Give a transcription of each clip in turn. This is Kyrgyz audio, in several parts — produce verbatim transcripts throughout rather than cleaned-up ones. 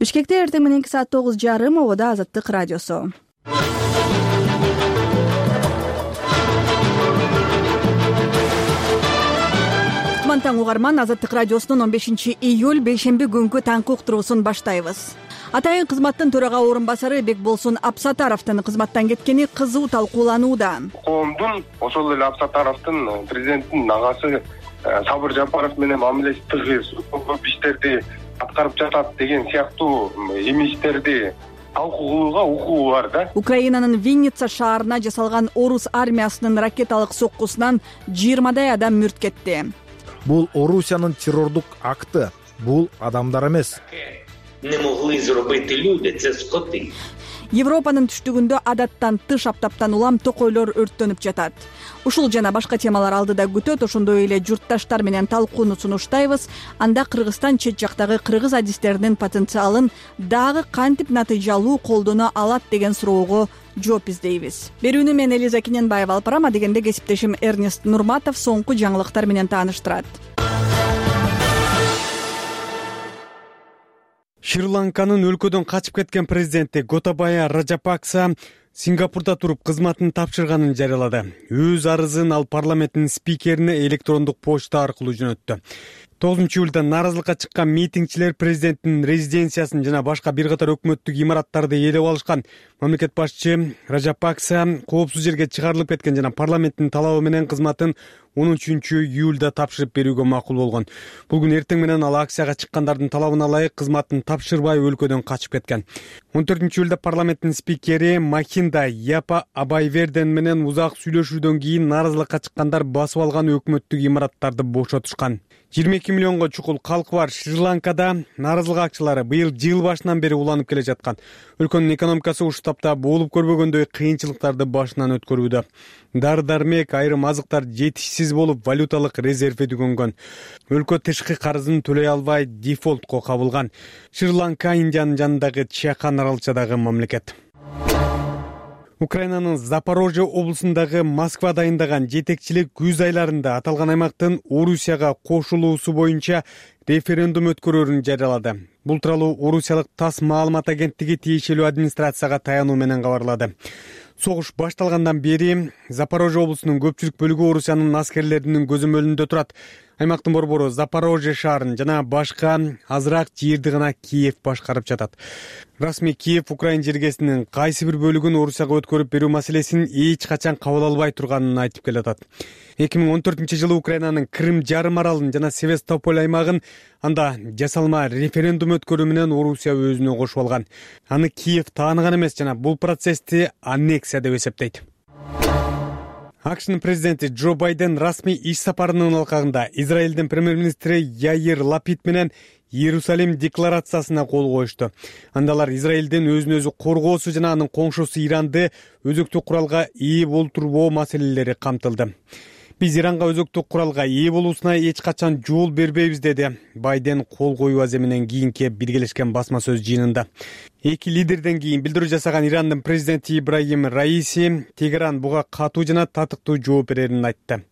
Бишкекте эртең мененки саат тогуз жарым обода Азаттык радиосу. Таң угарман, Азаттык радиосунун он бешинчи июль бейшемби күнкү таңкы уктуруусун баштайбыз. Атайын кызматтын төрага орун басары Бекболсун Абсатаровдун кызматтан кеткени кызуу талкууланууда. Коомдун ошол эле Абсатаровдун президенттин агасы Сабыр Жапаров менен мамилеси тыгыз, көп иштерди аткарып жатат деген сыяктуу эмиштерди талкуулоого укугу бар да. Украинанын Винница шаарына жасалган орус армиясынын ракеталык соккусунан жыйырмадай адам мүрт кетти. Бул Орусиянын террордук акты, бул адамдар эмес. Не могли зробити люди, це скоти. Европанын түштүгүндө адаттан тыш аптаптан улам токойлор өрттөнүп жатат. Ушул жана башка темалар алдыда күтөт, ошондой эле журтташтар менен талкууну сунуштайбыз. Анда Кыргызстан чет жактагы кыргыз адистеринин потенциалын дагы кантип натыйжалуу колдоно алат деген суроого жооп издейбиз. Берүүнү мен Элиза Кененбаева алып барам, дегенде кесиптешим Эрнест Нурматов соңку жаңылыктар менен тааныштырат. Шри-Ланканын өлкөдөн качып кеткен президенти Готабая Раджапакса Сингапурда туруп кызматын тапшырганын жарыялады. Өз арызын ал парламенттин спикерине электрондук почта аркылуу жөнөттү. тогузунчу июлда нааразылыкка чыккан митингчилер президенттин резиденциясын жана башка бир катар өкмөттүк имараттарды ээлеп алышкан. Мамлекет башчы Раджапакса коопсуз жерге чыгарылып кеткен жана парламенттин талабы менен кызматын он үчүнчү июлда тапшырып берүүгө макул болгон. Бул күн эртең менен ал акцияга чыккандардын талабына ылайык кызматын тапшырбай өлкөдөн качып кеткен. он төртүнчү июлда парламенттин спикери Махинда Япа Абайверден менен узак сүйлөшүүдөн кийин нааразылыкка чыккандар басып алган өкмөттүк имараттарды бошотушкан. жыйырма эки миллионго чукул калкы бар Шри-Ланкада нааразылык акчылары быйыл жыл башынан бери уланып келе жаткан. Өлкөнүн экономикасы ушул тапта болуп көрбөгөндөй кыйынчылыктарды башынан өткөрүүдө. Дары-дармек, айрым азыктар жетишсиз болуп, валюталык резерви түгөнгөн. Өлкө тышкы карызын төлөй албай дефолтко кабылган. Шри-Ланка Индиянын жанындагы Чахан аралчадагы мамлекет. Украинанын Запорожье облусундагы Москва дайындаган жетекчилик күз айларында аталган аймактын Орусияга кошулуусу боюнча референдум өткөрөрүн жарыялады. Бул тууралуу орусиялык ТАСС маалымат агенттиги тиешелүү администрацияга таянуу менен кабарлады. Согуш башталгандан бери Запорожье облусунун көпчүлүк бөлүгү Орусиянын аскерлеринин көзөмөлүндө турат. Аймактын борбору Запорожье шаарын жана башка азыраак жерди гана Киев башкарып жатат. Расмий Киев Украин жергесинин кайсы бир бөлүгүн Орусияга өткөрүп берүү маселесин эч качан кабыл албай турганын айтып келатат. эки миң он төртүнчү жылы Украинанын Крым жарым аралын жана Севастополь аймагын анда жасалма референдум өткөрүү менен Орусия өзүнө кошуп алган. Аны Киев тааныган эмес жана бул процессти аннексия деп эсептейт. АКШнын президенти Джо Байден расмий иш сапарынын алкагында Израилдин премьер-министри Яир Лапид менен Иерусалим декларациясына кол коюшту. Андалар Израилдин өзүн өзү коргоосу жана анын коңшусу Иранды өзөктүк куралга ээ болтурбоо маселелери камтылды. Биз Иранга өзөктүк куралга ээ болуусуна эч качан жол бербейбиз, деди Байден кол коюу аземинен кийинки биргелешкен басма сөз жыйынында. Эки лидерден кийин билдирүү жасаган Ирандын президенти Ибрахим Раиси Тегеран буга катуу жана татыктуу жооп берерин айтты.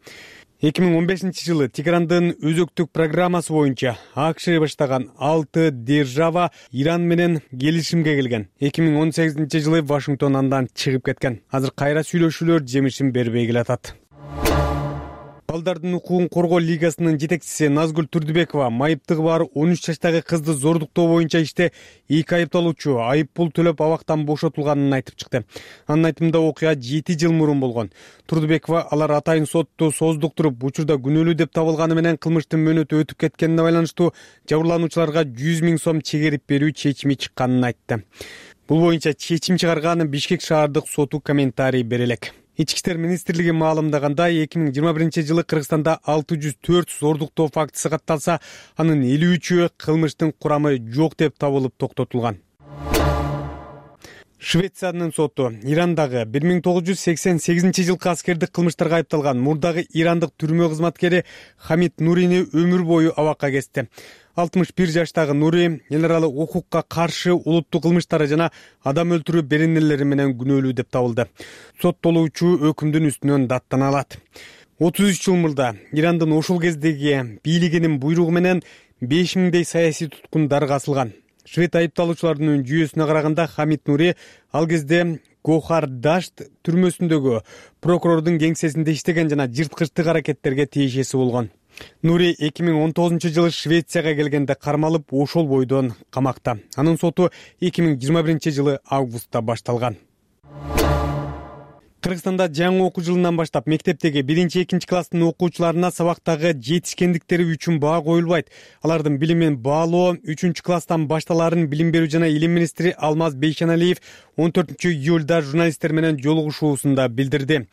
эки миң он бешинчи жылы Тегерандын өзөктүк программасы боюнча АКШ баштаган алты держава Иран менен келишимге келген. эки миң он сегизинчи жылы Вашингтон андан чыгып кеткен. Азыр кайра сүйлөшүүлөр жемишин бербей келатат. Балдардын укугун коргоо лигасынын жетекчиси Назгүл Турдубекова майыптыгы бар он үч жаштагы кызды зордуктоо боюнча иште эки айыпталуучу айып пул төлөп абактан бошотулганын айтып чыкты. Анын айтымында окуя жети жыл мурун болгон. Турдубекова алар атайын сотту создуктуруп, учурда күнөөлүү деп табылганы менен кылмыштын мөөнөтү өтүп кеткенине байланыштуу жабырлануучуларга жүз миң сом чегерип берүү чечими чыкканын айтты. Бул боюнча чечим чыгарганы Бишкек шаардык соту комментарий бере элек. Ички иштер министрлиги маалымдаганда эки миң жыйырма биринчи жылы Кыргызстанда алты жүз төрт зордуктоо фактысы катталса, анын элүү үчү кылмыштын курамы жок деп табылып токтотулган. Швециянын соту Ирандагы бир миң тогуз жүз сексен сегизинчи жылкы аскердик кылмыштарга айыпталган мурдагы ирандык түрмө кызматкери Хамид Нурини өмүр бою абакка кести. алтымыш бир жаштагы Нури эл аралык укукка каршы улуттук кылмыштары жана адам өлтүрүү беренелери менен күнөөлүү деп табылды. Соттолуучу өкүмдүн үстүнөн даттана алат. отуз үч жыл мурда Ирандын ошол кездеги бийлигинин буйругу менен беш миңдей саясий туткун дарга асылган. Швед айыпталуучулардын жүйөсүнө караганда Хамид Нури ал кезде Гохар Дашт түрмөсүндөгү прокурордун кеңсесинде иштеген жана жырткычтык аракеттерге тиешеси болгон. Нури эки миң он тогузунчу жылы Швецияга келгенде кармалып, ошол бойдон камакта. Анын соту эки миң жыйырма биринчи жылы августта башталган. Кыргызстанда жаңы окуу жылынан баштап мектептеги биринчи экинчи класстын окуучуларына сабактагы жетишкендиктери үчүн баа коюлбайт. Алардын билимин баалоо үчүнчү класстан башталаарын билим берүү жана илим министри Алмаз Бейшеналиев он төртүнчү июлда журналисттер менен жолугушуусунда билдирди.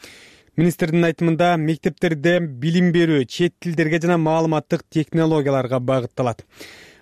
Министрдин айтымында мектептерде билим берүү чет тилдерге жана маалыматтык технологияларга багытталат.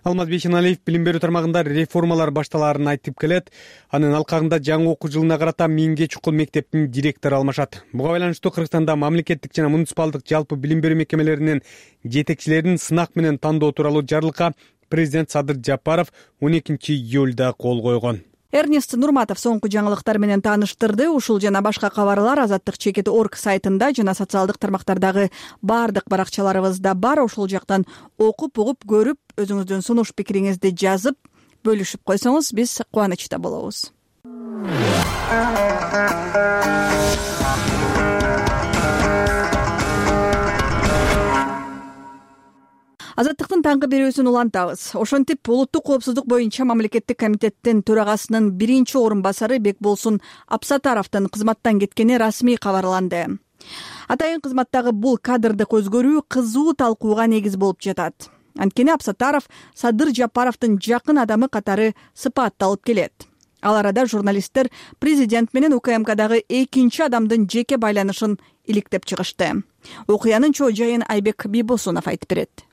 Алмаз Бейшеналиев билим берүү тармагында реформалар башталаарын айтып келет. Анын алкагында жаңы окуу жылына карата миңге чукул мектептин директору алмашат. Буга байланыштуу Кыргызстанда мамлекеттик жана муниципалдык жалпы билим берүү мекемелеринин жетекчилерин сынак менен тандоо тууралуу жарлыкка президент Садыр Жапаров он экинчи июлда кол койгон. Эрнест Нурматов соңку жаңылыктар менен тааныштырды. Ушул жана башка кабарлар азаттык чекит точка орг сайтында жана социалдык тармактардагы баардык баракчаларыбызда бар. Ошол жактан окуп, угуп, көрүп, өзүңүздүн сунуш пикириңизди жазып, бөлүшүп койсоңуз биз кубанычта болобуз. Азаттыктын таңкы берүүсүн улантабыз. Ошентип, улуттук коопсуздук боюнча мамлекеттик комитеттин төрагасынын биринчи орун басары Бекболсун Абсатаровдун кызматтан кеткени расмий кабарланды. Атайын кызматтагы бул кадрдык өзгөрүү кызуу талкууга негиз болуп жатат. Анткени Абсатаров Садыр Жапаровдун жакын адамы катары сыпатталып келет. Ал арада журналисттер президент менен УКМКдагы экинчи адамдын жеке байланышын иликтеп чыгышты. Окуянын чоо жайын Айбек Бийбосунов айтып берет.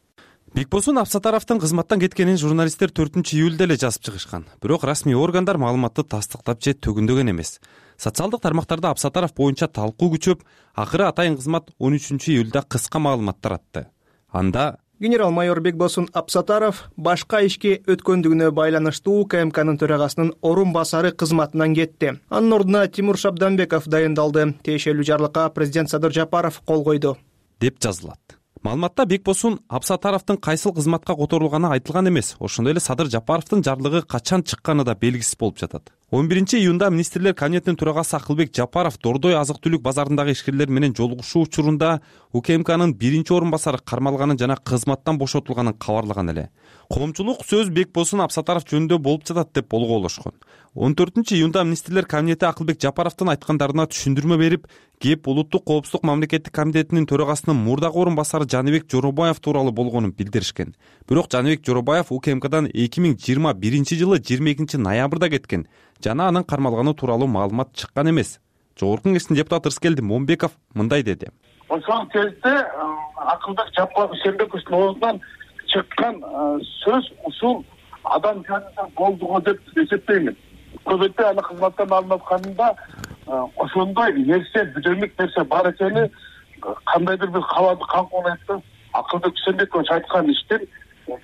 Бекболсун Абсатаровдун кызматтан кеткенин журналисттер төртүнчү июлда эле жазып чыгышкан. Бирок расмий органдар маалыматты тастыктап же төгүндөгөн эмес. Социалдык тармактарда Абсатаров боюнча талкуу күчөп, акыры атайын кызмат он үчүнчү июлда кыска маалымат таратты. Анда генерал-майор Бекболсун Абсатаров башка ишке өткөндүгүнө байланыштуу УКМКнын төрагасынын орун басары кызматынан кетти. Анын ордуна Тимур Шабданбеков дайындалды. Тиешелүү жарлыкка президент Садыр Жапаров кол койду, деп жазылат. Маалыматта Бекболсун Абсатаровдун кайсыл кызматка которулганы айтылган эмес. Ошондой эле Садыр Жапаровдун жарлыгы качан чыкканы да белгисиз болуп жатат. он биринчи июнда министрлер кабинетинин төрагасы Акылбек Жапаров Дордой азык-түлүк базарындагы ишкерлер менен жолугушуу учурунда УКМКнын биринчи орун басары кармалганын жана кызматтан бошотулганын кабарлаган эле. Коомчулук сөз Бекболсун Абсатаров жөнүндө болуп жатат деп болгоолошкон. он төртүнчү июнда министрлер кабинети Акылбек Жапаровдун айткандарына түшүндүрмө берип, кеп улуттук коопсуздук мамлекеттик комитетинин төрагасынын мурдагы орун басары Жаныбек Жоробаев тууралуу болгонун билдиришкен. Бирок Жаныбек Жоробаев УКМКдан эки миң жыйырма биринчи жылы жыйырма экинчи ноябрда кеткен жана анын кармалганы тууралуу маалымат чыккан эмес. Жогорку Кеңештин депутаты Ырыскелди Момбеков мындай деди. Ошол кезде Акылбек Жапаровдун оозунан чыккан сөз ушул адам жанында болду го деп эсептеймин. Көбөйтө аны кызматтан алынып атканында ошондой нерсе, бүдөлүк нерсе бар экени кандайдыр бир кабарды камкоолойт. Акылбек Үсөнбекович айткан иштин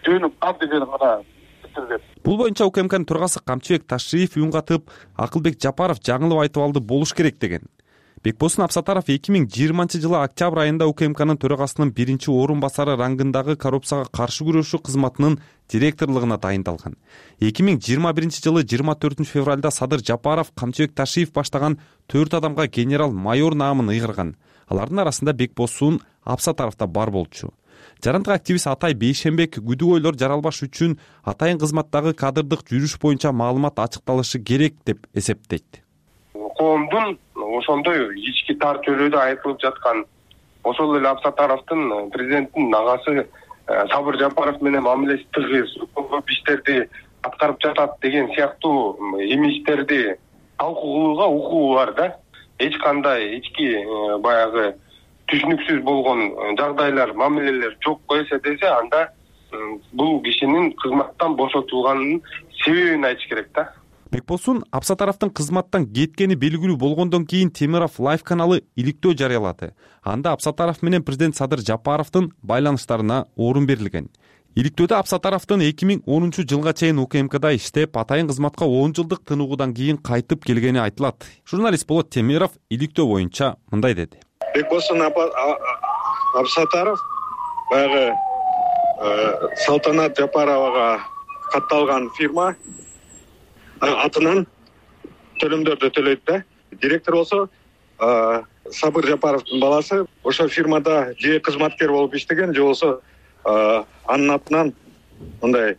жөнү бар деген гана билдирди. Бул боюнча УКМКнын төрагасы Камчыбек Ташиев үн катып, Акылбек Жапаров жаңылып айтып алды болуш керек деген. Бекболсун Абсатаров эки миң жыйырманчы жылы октябрь айында УКМКнын төрагасынын биринчи орун басары рангындагы коррупцияга каршы күрөшүү кызматынын директорлугуна дайындалган. эки миң жыйырма биринчи жылы жыйырма төртүнчү февралда Садыр Жапаров Камчыбек Ташиев баштаган төрт адамга генерал-майор наамын ыйгарган. Алардын арасында Бекболсун Абсатаров да бар болчу. Жарандык активист Атай Бейшембек күдүгөйлөр жаралбаш үчүн атайын кызматтагы кадрдык жүрүш боюнча маалымат ачыкталышы керек деп эсептейт. Коомдун ошондой ички тар чөйрөдө айтылып жаткан, ошол эле Абсатаровдун президенттин агасы Сабыр Жапаров менен мамилеси тыгыз, көп иштерди аткарып жатат деген сыяктуу имидждерди талкууга укугу бар да. Эч кандай ички баягы түшүнүксүз болгон жагдайлар, мамилелер жок койсо десе, анда бул кишинин кызматтан бошотулганын себебин айтыш керек да. Бекболсун Абсатаровдун кызматтан кеткени белгилүү болгондон кийин Темиров Лайф каналы иликтөө жарыялады. Анда Абсатаров менен президент Садыр Жапаровдун байланыштарына орун берилген. Иликтөөдө Абсатаровдун эки миң онунчу жылга чейин УКМКда иштеп, атайын кызматка он жылдык тынугудан кийин кайтып келгени айтылат. Журналист Болот Темиров иликтөө боюнча мындай деди. Бекболсун Абсатаров баягы Салтанат Жапаровага катталган фирма атынан төлөмдөрдү төлөйт да. Директор болсо Сабыр Жапаровдун баласы ошол фирмада же кызматкер болуп иштеген, же болбосо анын атынан мындай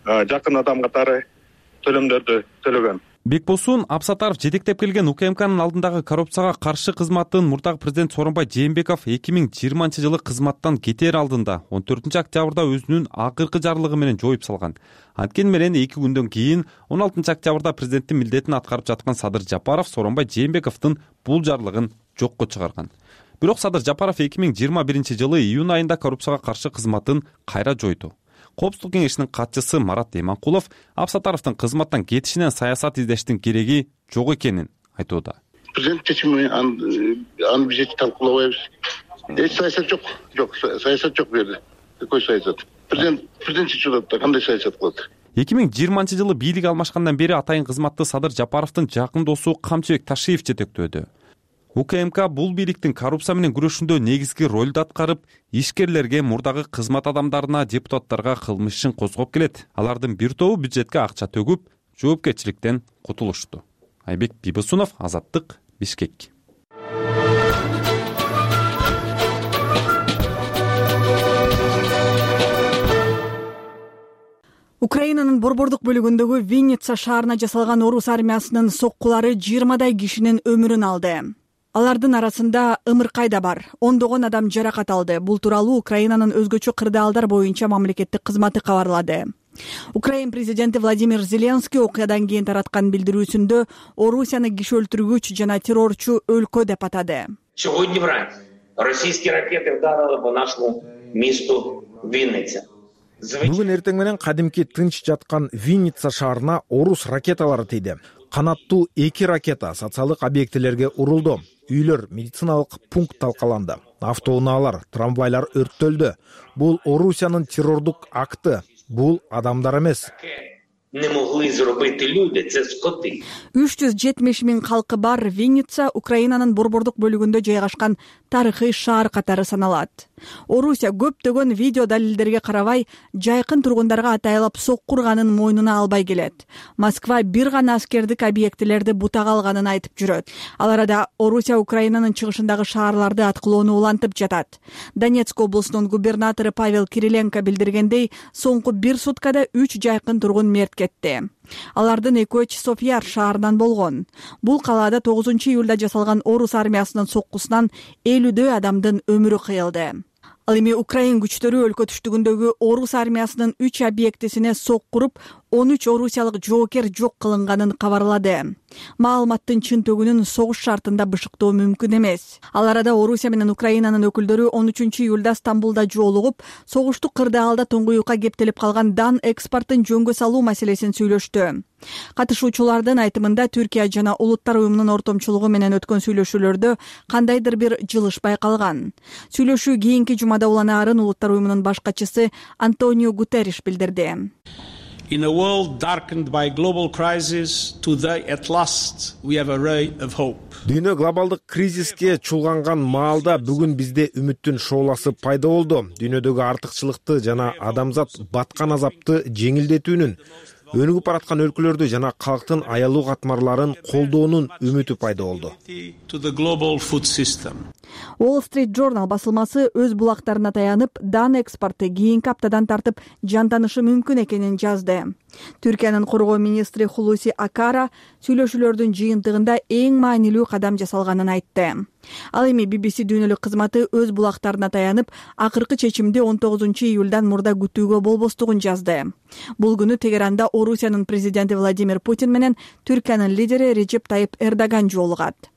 жакын адам катары төлөмдөрдү төлөгөн. Бекбосун Абсатаров жетектеп келген УКМКнын алдындагы коррупцияга каршы кызматын мурдагы президент Сооронбай Жээнбеков эки миң жыйырманчы жылы кызматтан кетер алдында он төртүнчү октябрда өзүнүн акыркы жарлыгы менен жоюп салган. Анткени менен эки күндөн кийин он алтынчы октябрда президенттин милдетин аткарып жаткан Садыр Жапаров Сооронбай Жээнбековдун бул жарлыгын жокко чыгарган. Бирок Садыр Жапаров эки миң жыйырма биринчи жылы июнь айында коррупцияга каршы кызматын кайра жойду. Коопсуздук кеңешинин катчысы Марат Эманкулов Абсатаровдун кызматтан кетишинен саясат издештин кереги жок экенин айтууда. Президент чечими аны биз эч талкуулабайбыз. Эч саясат жок. Жок, саясат жок бу жерде. Какой саясат? Президент президент чечип атат да, кандай саясат кылат? эки миң жыйырманчы жылы бийлик алмашкандан бери атайын кызматты Садыр Жапаровдун жакын досу Камчыбек Ташиев жетектөөдү. УКМК бул бийликтин коррупция менен күрөшүндө негизги ролду аткарып, ишкерлерге, мурдагы кызмат адамдарына, депутаттарга кылмыш ишин козгоп келет. Алардын бир тобу бюджетке акча төгүп, жоопкерчиликтен кутулушту. Айбек Бибосунов, Азаттык, Бишкек. Украинанын борбордук бөлүгүндөгү Винница шаарына жасалган орус армиясынын соккулары жыйырмадай кишинин өмүрүн алды. Алардын арасында ымыркай да бар. Ондогон адам жаракат алды. Бул тууралуу Украинанын өзгөчө кырдаалдар боюнча мамлекеттик кызматы кабарлады. Украин президенти Владимир Зеленский окуядан кийин тараткан билдирүүсүндө Орусияны киши өлтүргүч жана террорчу өлкө деп атады. Сьогодні вранці російські ракети вдарили по нашому місту Вінниця. Бүгүн эртең менен кадимки тынч жаткан Винница шаарына орус ракеталары тийди. Канаттуу эки ракета социалдык объектилерге урулду. Үйлөр, медициналык пункт талкаланды. Автоунаалар, трамвайлар өрттөлдү. Бул Орусиянын террордук акты. Бул адамдар эмес. Не могли зробити люди, це скоти. үч жүз жетимиш миң калкы бар Винница Украинанын борбордук бөлүгүндө жайгашкан тарыхый шаар катары саналат. Орусия көптөгөн видео далилдерге карабай, жайкын тургундарга атайлап сокку урганын мойнуна албай келет. Москва бир гана аскердик объектилерди бутага алганын айтып жүрөт. Ал арада Орусия Украинанын чыгышындагы шаарларды аткылоону улантып жатат. Донецк облусунун губернатору Павел Кириленко билдиргендей, соңку бир суткада үч жайкын тургун мерт кетти. Алардын экөө Часовъяр шаарынан болгон. Бул калаада тогузунчу июлда жасалган орус армиясынын соккусунан элүүдөй адамдын өмүрү кыйылды. Ал эми Украин күчтөрү өлкө түштүгүндөгү орус армиясынын үч объектисине сокку уруп, он үч орусиялык жоокер жок кылынганын кабарлады. Маалыматтын чын төгүнүн согуш шартында бышыктоо мүмкүн эмес. Ал арада Орусия менен Украинанын өкүлдөрү он үчүнчү июлда Стамбулда жолугуп, согуштук кырдаалда тоңгуюкка кептелип калган дан экспортун жөнгө салуу маселесин сүйлөштү. Катышуучулардын айтымында Түркия жана Улуттар уюмунун ортомчулугу менен өткөн сүйлөшүүлөрдө кандайдыр бир жылыш байкалган. Сүйлөшүү кийинки жумада уланаарын Улуттар уюмунун баш катчысы Антонио Гутерриш билдирди. In a world darkened by global crisis, today at last we have a ray of hope. Дүйнө глобалдык кризиске чулганган маалда бүгүн бизде үмүттүн шооласы пайда болду. Дүйнөдөгү артыкчылыкты жана адамзат баткан азапты жеңилдетүүнүн, өнүгүп бараткан өлкөлөрдү жана калктын аялуу катмарларын колдоонун үмүтү пайда болду. Wall Street Journal басылмасы өз булактарына таянып, дан экспорты кийинки аптадан тартып жантанышы мүмкүн экенин жазды. Түркиянын коргоо министри Хулуси Акара сүйлөшүүлөрдүн жыйынтыгында эң маанилүү кадам жасалганын айтты. Ал эми би би си дүйнөлүк кызматы өз булактарына таянып, акыркы чечимди он тогузунчу июлдан мурда күтүүгө болбостугун жазды. Бул күнү Тегеранда Орусиянын президенти Владимир Путин менен Түркиянын лидери Режеп Тайып Эрдоган жолугат.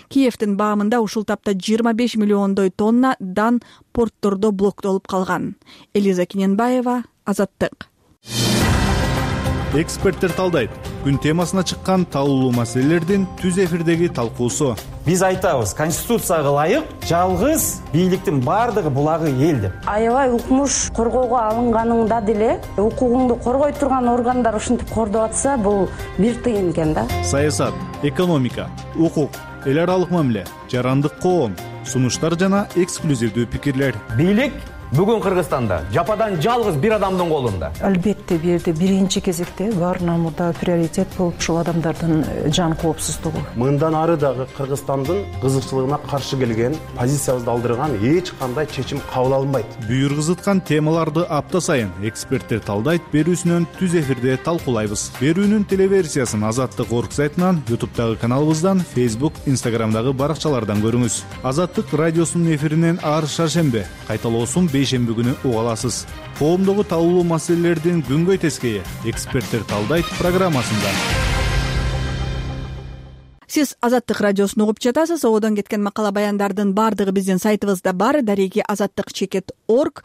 Киевдин баамында ушул тапта жыйырма беш миллиондой тонна дан порттордо блоктолуп калган. Элиза Киненбаева, Азаттык. Эксперттер талдайт. Күн темасына чыккан талуулуу маселелердин түз эфирдеги талкуусу. Биз айтабыз, конституцияга ылайык жалгыз бийликтин бардыгы булагы эл деп. Аябай укмуш коргоого алынганыңда деле укугуңду коргой турган органдар ушинтип кордоп атса, бул бир тыйын экен да. Саясат, экономика, укук, эл аралык мамиле, жарандык коом, сунуштар жана эксклюзивдүү пикирлер. Бийлик Бүгүн Кыргызстанда жападан жалгыз бир адамдын колунда. Албетте бул жерде биринчи кезекте баарынан мурда приоритет болуп ушул адамдардын жан коопсуздугу. Мындан ары дагы Кыргызстандын кызыкчылыгына каршы келген, позициябызды алдырган эч кандай чечим кабыл алынбайт. Бүйүр кызыткан темаларды апта сайын эксперттер талдайт берүүсүнөн түз эфирде талкуулайбыз. Берүүнүн телеверсиясын Азаттык орг сайтынан, YouTube'дагы каналыбыздан, Facebook, Instagram'дагы баракчалардан көрүңүз. Азаттык радиосунун эфиринен ар шаршембе, кайталоосун бейшемби күнү уга аласыз. Коомдогу талкуулуу маселелердин күнгөй тескейи эксперттер талдайт программасында. Сиз Азаттык радиосун угуп жатасыз. Одон кеткен макала баяндардын баардыгы биздин сайтыбызда бар. Дареги азаттык чекит орг.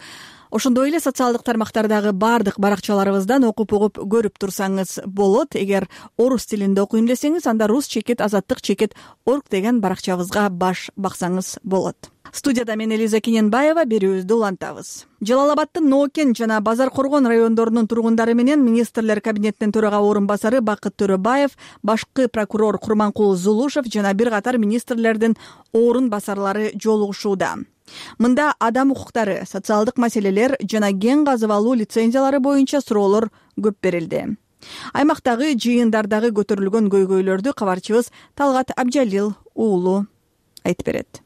Ошондой эле социалдык тармактардагы баардык баракчаларыбыздан окуп угуп көрүп турсаңыз болот. Эгер орус тилинде окуйм десеңиз, анда рус чекит азаттык чекит орг деген баракчабызга баш баксаңыз болот. Студияда мен Элиза Кененбаева, берүүбүздү улантабыз. Жалал Абадтын Ноокен жана Базар Коргон райондорунун тургундары менен министрлер кабинетинин төрага орун басары Бакыт Төрөбаев, башкы прокурор Курманкул Зулушев жана бир катар министрлердин орун басарлары жолугушууда. Мында адам укуктары, социалдык маселелер жана кен казып алуу лицензиялары боюнча суроолор көп берилди. Аймактагы жыйындардагы көтөрүлгөн көйгөйлөрдү кабарчыбыз Талгат Абжалил уулу айтып берет.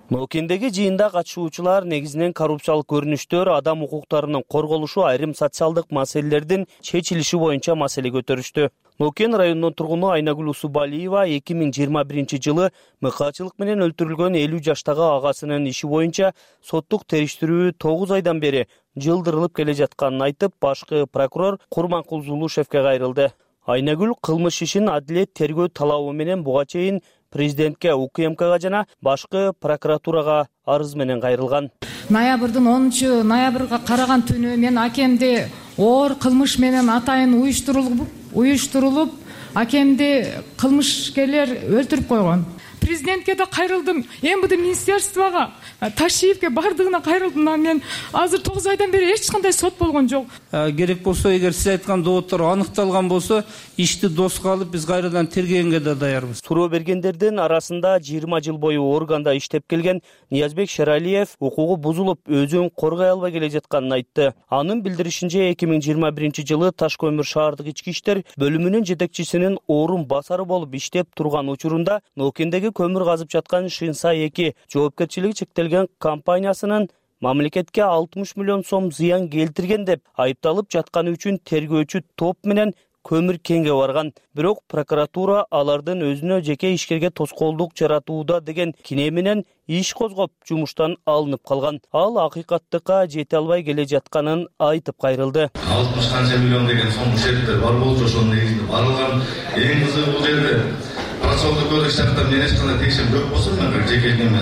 Ноокендеги жыйында катышуучулар негизинен коррупциялык көрүнүштөр, адам укуктарынын корголушу, айрым социалдык маселелердин чечилиши боюнча маселе көтөрүштү. Ноокен районунун тургуну Айнагүл Усубалиева эки миң жыйырма биринчи жылы мыкаачылык менен өлтүрүлгөн элүү жаштагы агасынын иши боюнча соттук териштирүү тогуз айдан бери жылдырылып келе жатканын айтып, башкы прокурор Курманкул Зулушевке кайрылды. Айнагүл кылмыш ишин адилет тергөө талабы менен буга чейин президентке, УКМКга жана башкы прокуратурага арыз менен кайрылган. Ноябрдын онунчу ноябрга караган түнү мен акемди оор кылмыш менен атайын уюштурулуп, уюштурулуп, акемди кылмышкерлер өлтүрүп койгон. Президентке да кайрылдым, МВД министерствого, Ташиевке бардыгына кайрылдым. Мен азыр тогуз айдан бери эч кандай сот болгон жок. Керек болсо, эгер сиз айткан доводдор аныкталган болсо, ишти доска алып биз кайрадан тергегенге да даярбыз. Суроо бергендердин арасында жыйырма жыл бою органда иштеп келген Ниязбек Шералиев укугу бузулуп, өзүн коргой албай келе жатканын айтты. Анын билдиришинче эки миң жыйырма биринчи жылы Таш көмүр шаардык ички иштер бөлүмүнүн жетекчисинин орун басары болуп иштеп турган учурунда Ноокендеги көмүр казып жаткан Шинса эки жоопкерчилиги чектелген компаниясынын мамлекетке алтымыш миллион сом зыян келтирген деп айыпталып жатканы үчүн тергөөчү топ менен көмүр кенге барган. Бирок прокуратура алардын өзүнө жеке ишкерге тоскоолдук жаратууда деген кине менен иш козгоп, жумуштан алынып калган. Ал акыйкаттыкка жете албай келе жатканын айтып кайрылды. алтымыш канча миллион деген сом ушерттер бар болчу, ошонун негизинде барылган. Эң кызыгы бул жерде процессуалдык кодекс жактан мен эч кандай текшерим жок болсо, мен жеке неме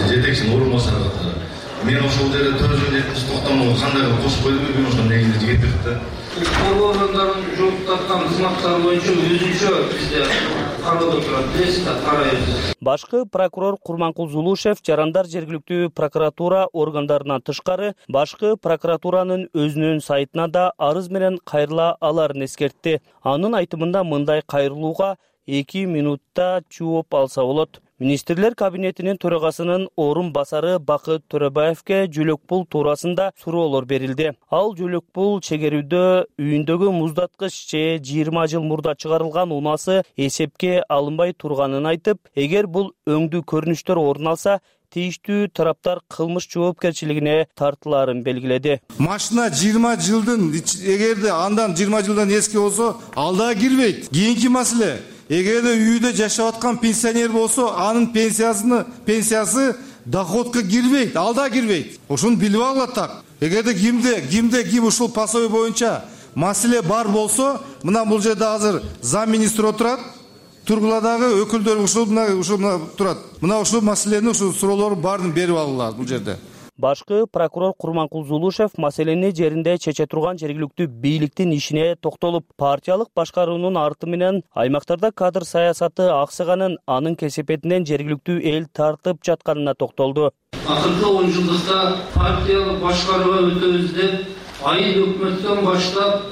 жетекчинин орун басары катары. Мен ошол жерде төрөзгөн жетинчи токтомго кандай кылып кошуп койдум, мен ошонун негизинде жигит берди. Коргоо органдарынын жооп тарткан кызматтары боюнча өзүнчө бизде кароодо турат, билесиз да, карайбыз. Башкы прокурор Курманкул Зулушев жарандар жергиликтүү прокуратура органдарынан тышкары башкы прокуратуранын өзүнүн сайтына да арыз менен кайрыла аларын эскертти. Анын айтымында мындай кайрылууга эки минутта жооп алса болот. Министрлер кабинетинин төрагасынын орун басары Бакыт Төрөбаевке жөлөк пул туурасында суроолор берилди. Ал жөлөк пул чегерүүдө үйүндөгү муздаткыч же жыйырма жыл мурда чыгарылган унаасы эсепке алынбай турганын айтып, эгер бул өңдүү көрүнүштөр орун алса, тийиштүү тараптар кылмыш жоопкерчилигине тартылаарын белгиледи. Машина жыйырма жылдын, эгерде андан жыйырма жылдан эски болсо, алда кирбейт. Кийинки маселе, эгерде үйдө жашап аткан пенсионер болсо, анын пенсиясыны, пенсиясы доходко кирбейт, алда кирбейт. Ошону билип алат так. Эгерде кимде, кимде ким ушул пособие боюнча маселе бар болсо, мына бул жерде азыр зам министр отурат. Тургуладагы өкүлдөр ушул мына ушул турат. Мына ушул маселени, ушул суроолордун баарын берип алгыла бул жерде. Башкы прокурор Курманкул Зулушев маселени жеринде чече турган жергиликтүү бийликтин ишине токтолуп, партиялык башкаруунун арты менен аймактарда кадр саясаты аксаганын, анын кесепетинен жергиликтүү эл тартып жатканына токтолду. Акыркы он жылдыкта партиялык башкарууга өтөбүз деп айыл өкмөттөн баштап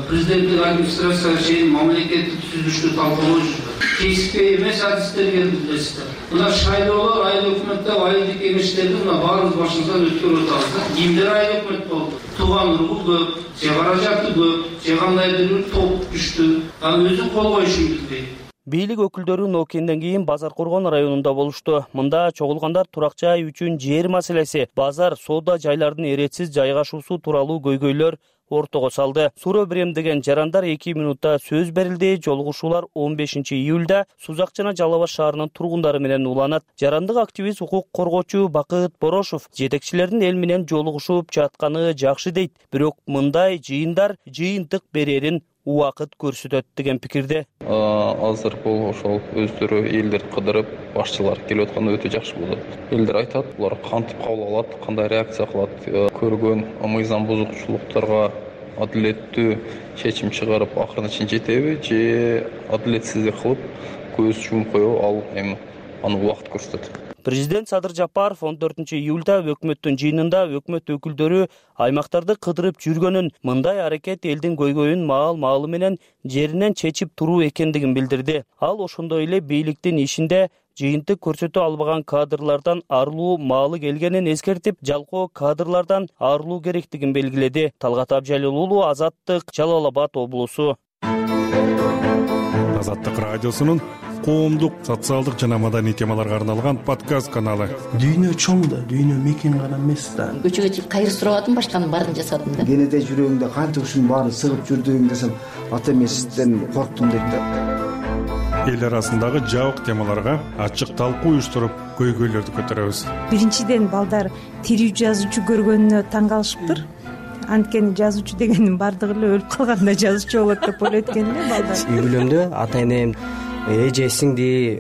президенттик администрацияга чейин мамлекеттик түзүлүштү талкуулоо жүрдү. кесипи эмес адистер келди билесиздер. Мына шайлоолор айыл өкмөттө айылдык кеңештерди мына баарыбыз башыбыздан өткөрүп атабыз. Кимдер айыл өкмөт болду? Тууган ургу көп, же каражаты көп, же кандайдыр бир топ күчтүү. Ал өзү кол коюшун билбейт. Бийлик өкүлдөрү Ноокенден кийин Базар Коргон районунда болушту. Мында чогулгандар турак жай үчүн жер маселеси, базар, соода жайлардын эретсиз жайгашуусу тууралуу көйгөйлөр ортого салды. Суроо берем деген жарандар эки минутта сөз берилди. Жолугушуулар он бешинчи июлда Сузак жана Жалал Абад шаарынын тургундары менен уланат. Жарандык активист, укук коргоочу Бакыт Борошов жетекчилердин эл менен жолугушуп жатканы жакшы дейт. Бирок мындай жыйындар жыйынтык берерин убакыт көрсөтөт деген пикирде. Азыр бул ошол өздөрү элдерди кыдырып, башчылар келип атканда өтө жакшы болот. Элдер айтат, булар кантип кабыл алат, кандай реакция кылат, көргөн мыйзам бузуучулуктарга адилеттүү чечим чыгарып акырына чейин жетеби, же адилетсиздик кылып көз жумуп коебу, ал эми аны убакыт көрсөтөт. Президент Садыр Жапаров он төртүнчү июлда өкмөттүн жыйынында өкмөт өкүлдөрү аймактарды кыдырып жүргөнүн, мындай аракет элдин көйгөйүн маал-маалы менен жеринен чечип туруу экендигин билдирди. Ал ошондой эле бийликтин ишинде жыйынтык көрсөтө албаган кадрлардан арылуу маалы келгенин эскертип, жалпы кадрлардан арылуу керектигин белгиледи. Талгат Абжалил уулу, Азаттык, Жалал Абад облусу. Азаттык радиосунун коомдук, социалдык жана маданий темаларга арналган подкаст каналы. Дүйнө чоң да, дүйнө мекен гана эмес да. Көчөгө чыгып кайыр сурабадым, башканын баарын жасадым да. Кенеде жүрөгүңдө канча ушунун баарын сыгып жүрдүң десем, ата эмесизден корктум дейт да. Эл арасындагы жабык темаларга ачык талкуу уюштуруп, көйгөйлөрдү көтөрөбүз. Биринчиден балдар тирүү жазуучу көргөнүнө таң калышыптыр. Анткени жазуучу дегендин баардыгы эле өлүп калганда жазуучу болот деп ойлойт экен эле балдар. Үй бүлөмдө ата энем, эже, сиңди,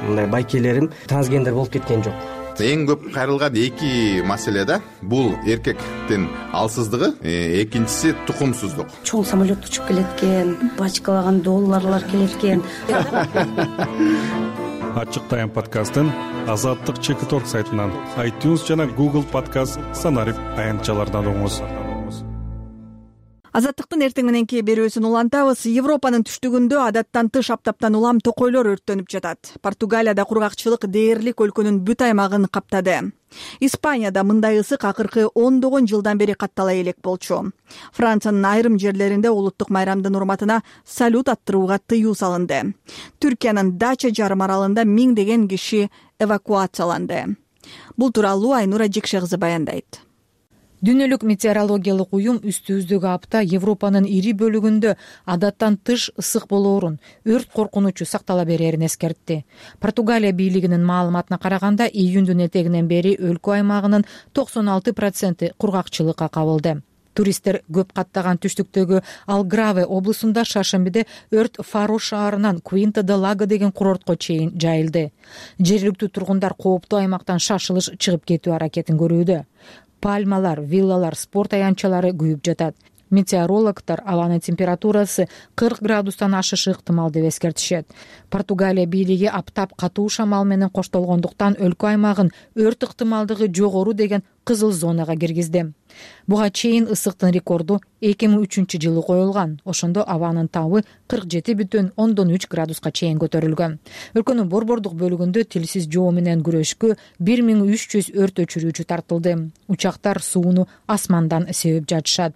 мындай байкелерим трансгендер болуп кеткен жок. Эң көп кайрылган эки маселе да. Бул эркектин алсыздыгы, экинчиси тукумсуздук. Чоң самолет учуп келет экен, бачкалаган долларлар келет экен. Ачык тайм подкастын Азаттык чек торг сайтынан, iTunes жана Google подкаст санарип аянтчалардан угуңуз. Азаттыктын эртең мененки берүүсүн улантабыз. Европанын түштүгүндө адаттан тыш аптаптан улам токойлор өрттөнүп жатат. Португалияда кургакчылык дээрлик өлкөнүн бүт аймагын каптады. Испанияда мындай ысык акыркы ондогон жылдан бери каттала элек болчу. Франциянын айрым жерлеринде улуттук майрамдын урматына салют аттырууга тыюу салынды. Түркиянын Дача жарым аралында миңдеген киши эвакуацияланды. Бул тууралуу Айнура Жекше кызы баяндайт. Дүйнөлүк метеорологиялык уюм үстүбүздөгү апта Европанын ири бөлүгүндө адаттан тыш ысык болоорун, өрт коркунучу сактала берерин эскертти. Португалия бийлигинин маалыматына караганда, июндун этегинен бери өлкө аймагынын токсон алты проценти кургакчылыкка кабылды. Туристтер көп каттаган түштүктөгү Алграве облусунда шаршембиде өрт Фаро шаарынан Куинта де Лаго деген курортко чейин жайылды. Жергиликтүү тургундар кооптуу аймактан шашылыш чыгып кетүү аракетин көрүүдө. Пальмалар, виллалар, спорт аянтчалары күйүп жатат. Метеорологдор абанын температурасы кырк градустан ашышы ыктымал деп эскертишет. Португалия бийлиги аптап катуу шамал менен коштолгондуктан өлкө аймагын өрт ыктымалдыгы жогору деген кызыл зонага киргизди. Буга чейин ысыктын рекорду эки миң үчүнчү жылы коюлган. Ошондо абанын табы кырк жети бүтүн ондон үч градуска чейин көтөрүлгөн. Өлкөнүн борбордук бөлүгүндө тилсиз жоо менен күрөшкө бир миң үч жүз өрт өчүрүүчү тартылды. Учактар сууну асмандан себип жатышат.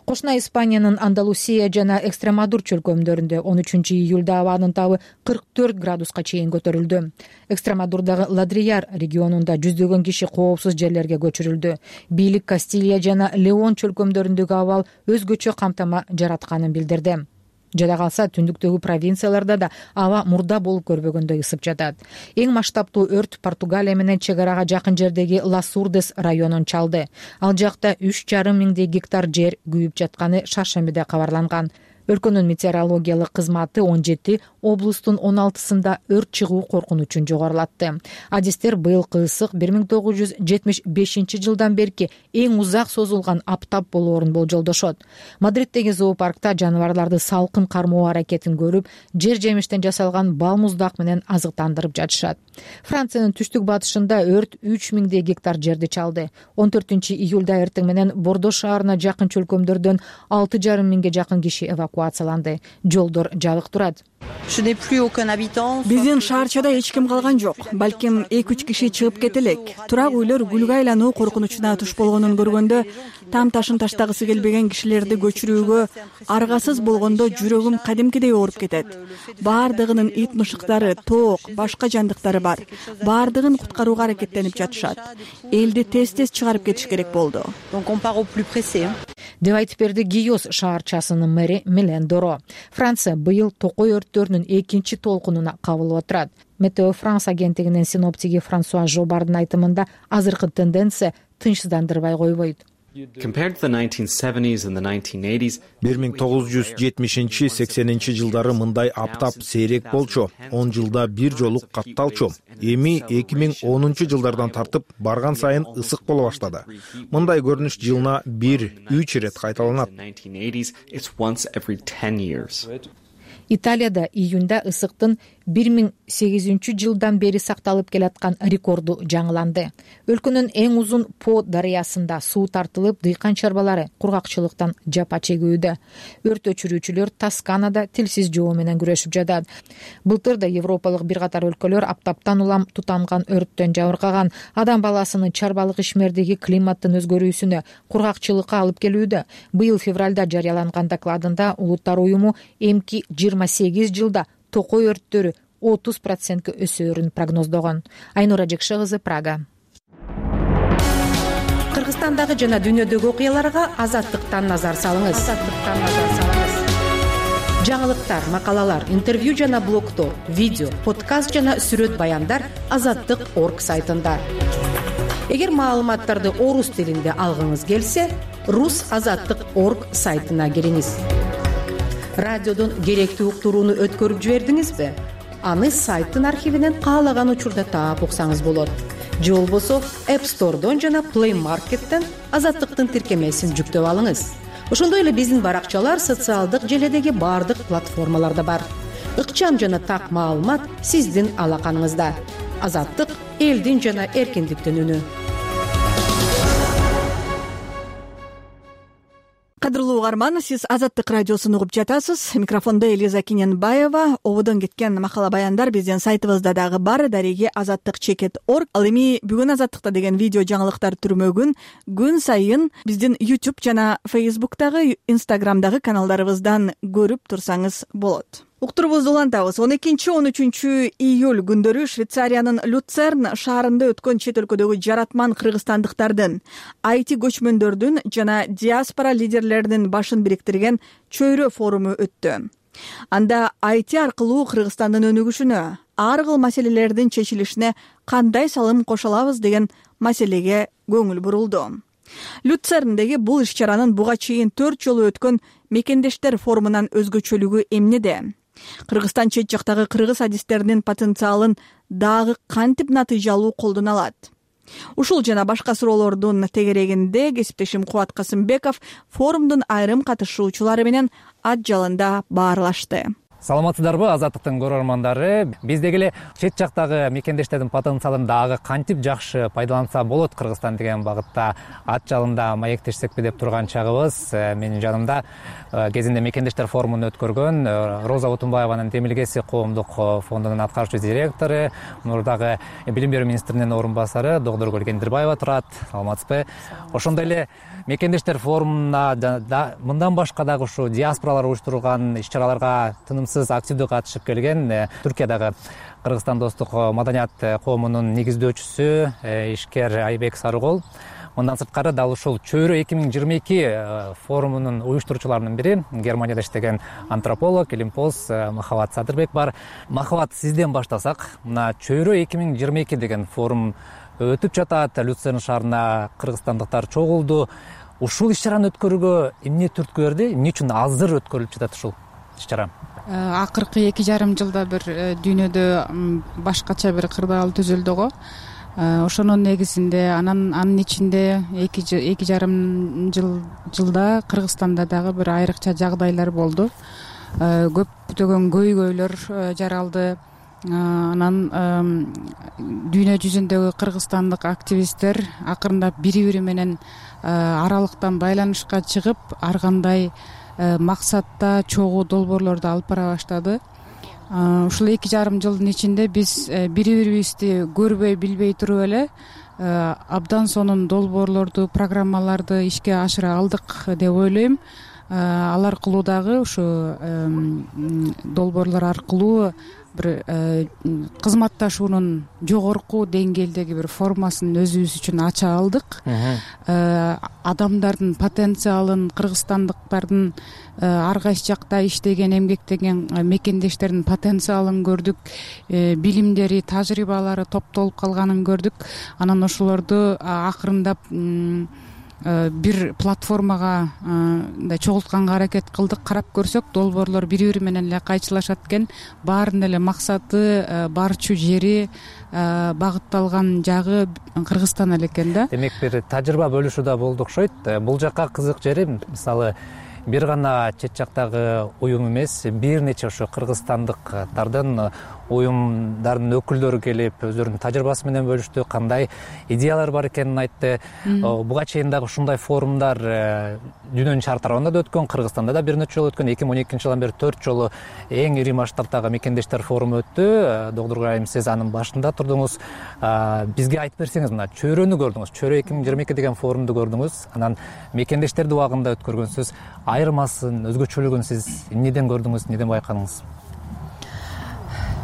Кошуна Испаниянын Андалусия жана Экстремадур чөлкөмдөрүндө он үчүнчү июлда абанын табы кырк төрт градуска чейин көтөрүлдү. Экстремадурдагы Ладрияр регионунда жүздөгөн киши коопсуз жерлерге көчүрүлдү. Бийлик Кастилия жана Леон чөлкөмдөрүндөгү абал өзгөчө камтама жаратканын билдирди. Жада калса, түндүктөгү провинцияларда да аба мурда болуп көрбөгөндөй ысып жатат. Эң масштабтуу өрт Португалия менен чек арага жакын жердеги Ласурдес районун чалды. Ал жакта үч жарым миңдей гектар жер күйүп жатканы шаршембиде кабарланган. Өлкөнүн метеорологиялык кызматы он жети облустун он алтысында өрт чыгуу коркунучун жогорулатты. Адистер быйылкы ысык бир миң тогуз жүз жетимиш бешинчи жылдан берки эң узак созулган аптап болоорун болжолдошот. Мадриттеги зоопаркта жаныбарларды салкын кармоо аракетин көрүп, жер жемиштен жасалган бал муздак менен азыктандырып жатышат. Франциянын түштүк батышында өрт үч миңдей гектар жерди чалды. он төртүнчү июлда эртең менен Бордо шаарына жакын чөлкөмдөрдөн алты жарым миңге жакын киши эвакуацияланды. Жолдор жабык турат. Биздин шаарчада эч ким калган жок. Балким эки үч киши чыгып кете элек. Турак үйлөр күлгө айлануу коркунучуна туш болгонун көргөндө там ташын таштагысы келбеген кишилерди көчүрүүгө аргасыз болгондо жүрөгүм кадимкидей ооруп кетет. Баардыгынын ит мышыктары, тоок, башка жандыктары бар. Баардыгын куткарууга аракеттенип жатышат. Элди тез-тез чыгарып кетиш керек болду. деп айтып берди Гийос шаарчасынын мэри Милен Доро. Франция быйыл токой өрттөрүнүн экинчи толкунуна кабылып отурат. Метео Франс агенттигинин синоптиги Франсуа Жобардын айтымында азыркы тенденция тынчсыздандырбай койбойт. бир миң тогуз жүз жетимишинчи сексенинчи жылдары мындай аптап сейрек болчу, он жылда бир жолу катталчу. Эми эки миң онунчу жылдардан тартып барган сайын ысык боло баштады. Мындай көрүнүш жылына бир үч ирет кайталанат. Италияда июнда ысыктын бир миң сегизинчи жылдан бери сакталып келаткан рекорду жаңыланды. Өлкөнүн эң узун По дарыясында суу тартылып, дыйкан чарбалары кургакчылыктан жапа чегүүдө. Өрт өчүрүүчүлөр Тосканада тилсиз жоо менен күрөшүп жатат. Былтыр да европалык бир катар өлкөлөр аптаптан улам тутанган өрттөн жабыркаган, адам баласынын чарбалык ишмердиги климаттын өзгөрүүсүнө, кургакчылыкка алып келүүдө. Быйыл февралда жарыяланган докладында Улуттар уюму эмки жыйырма сегиз жылда токой өрттөрү отуз процентке өсөөрүн прогноздогон. Айнура Жекше кызы, Прага. Кыргызстандагы жана дүйнөдөгү окуяларга Азаттыктан назар салыңыз. Азаттыктан назар салыңыз. Жаңылыктар, макалалар, интервью жана блогтор, видео, подкаст жана сүрөт баяндар азаттык точка орг сайтында. Эгер маалыматтарды орус тилинде алгыңыз келсе, рус азаттык точка орг сайтына кириңиз. Радиодон керектүү уктурууну өткөрүп жибердиңизби? Аны сайттын архивинен каалаган учурда таап уксаңыз болот. Же болбосо App Store'дон жана Play Market'тен Азаттыктын тиркемесин жүктөп алыңыз. Ошондой эле биздин баракчалар социалдык желедеги бардык платформаларда бар. Ыкчам жана так маалымат сиздин алаканыңызда. Азаттык элдин жана эркиндиктин үнү. Кадырлуу угарман, сиз Азаттык радиосун угуп жатасыз. Микрофондо Элиза Киненбаева. Ободон кеткен макала баяндар биздин сайтыбызда дагы бар. Дареги азаттык чекит точка орг. Ал эми бүгүн Азаттыкта деген видео жаңылыктар түрмөгүн күн сайын биздин YouTube жана Facebook'тагы, Instagram'дагы каналдарыбыздан көрүп турсаңыз болот. Уктурубузду улантабыз. он экинчи он үчүнчү июль күндөрү Швейцариянын Люцерн шаарында өткөн чет өлкөдөгү жаратман кыргызстандыктардын, айти көчмөндөрдүн жана диаспора лидерлеринин башын бириктирген чөйрө форуму өттү. Анда айти аркылуу Кыргызстандын өнүгүшүнө, ар кыл маселелердин чечилишине кандай салым кошо алабыз деген маселеге көңүл бурулду. Люцерндеги бул иш-чаранын буга чейин төрт жолу өткөн мекендештер форумунан өзгөчөлүгү эмнеде? Кыргызстан чет жактагы кыргыз адистеринин потенциалын дагы кантип натыйжалуу колдоно алат? Ушул жана башка суроолордун тегерегинде кесиптешим Кубат Касымбеков форумдун айрым катышуучулары менен ат жалында баарлашты. Саламатсыздарбы, Азаттыктын көрөрмандары? Биз деги эле чет жактагы мекендештердин потенциалын дагы кантип жакшы пайдаланса болот Кыргызстан деген багытта ат жалында маектешсекпи деп турган чагыбыз. Менин жанымда кезинде мекендештер форумун өткөргөн Роза Утунбаеванын Демилгеси коомдук фондунун аткаруучу директору, мурдагы билим берүү министринин орун басары Догдоргүл Кендирбаева турат. Саламатсызбы? Ошондой эле мекендештер форумуна мындан башка дагы ушу диаспоралар уюштурган иш-чараларга тынымсыз активдүү катышып келген Түркиядагы Кыргызстан достук маданият коомунун негиздөөчүсү ишкер Айбек Сарыгол. Мындан сырткары дал ушул чөйрө эки миң жыйырма эки форумунун уюштуруучуларынын бири Германияда иштеген антрополог, илимпоз Махабат Садырбек бар. Махабат, сизден баштасак, мына чөйрө эки миң жыйырма эки деген форум өтүп жатат. Люцерн шаарына кыргызстандыктар чогулду. Ушул иш-чараны өткөрүүгө эмне түрткү берди? Эмне үчүн азыр өткөрүлүп жатат ушул иш-чара? Акыркы эки жарым жылда бир дүйнөдө башкача бир кырдаал түзүлдү го. Ошонун негизинде анан анын ичинде эки жарым жыл жылда Кыргызстанда дагы бир айрыкча жагдайлар болду. Көптөгөн көйгөйлөр жаралды. Анан дүйнө жүзүндөгү кыргызстандык активисттер акырындап бири-бири менен аралыктан байланышка чыгып, ар кандай максатта чогуу долбоорлорду алып бара баштады. ушул эки жарым жылдын ичинде биз бири бирибизди көрбөй билбей туруп эле абдан сонун долбоорлорду, программаларды ишке ашыра алдык деп ойлойм. Ал аркылуу дагы ушу долбоорлор аркылуу бир кызматташуунун жогорку деңгээлдеги бир формасын өзүбүз үчүн ача алдык. Адамдардын потенциалын, кыргызстандыктардын ар кайсы жакта иштеген, эмгектеген мекендештердин потенциалын көрдүк, билимдери, тажрыйбалары топтолуп калганын көрдүк. Анан ошолорду акырындап бир платформага мындай чогултканга аракет кылдык. Карап көрсөк, долбоорлор бири бири менен эле кайчылашат экен. Баарынын эле максаты, барчу жери, багытталган жагы Кыргызстан эле экен да. Демек бир тажрыйба бөлүшүү да болду окшойт. Бул жакка кызык жери, мисалы, бир гана чет жактагы уюм эмес, бир нече ошо кыргызстандыктардын уюмдардын өкүлдөрү келип өздөрүнүн тажрыйбасы менен бөлүштү, кандай идеялар бар экенин айтты. Буга чейин дагы ушундай форумдар дүйнөнүн шаар тарабында да өткөн, Кыргызстанда да бир нече жолу өткөн. эки миң он экинчи жылдан бери төрт жолу эң ири масштабтагы мекендештер форуму өттү. Доктур Айым, сиз анын башында турдуңуз. Бизге айтып берсеңиз, мына чөйрөнү көрдүңүз, чөйрө эки миң жыйырма эки деген форумду көрдүңүз. Анан мекендештерди убагында өткөргөнсүз. Айырмасын, өзгөчөлүгүн сиз эмнеден көрдүңүз, эмнеден байкадыңыз?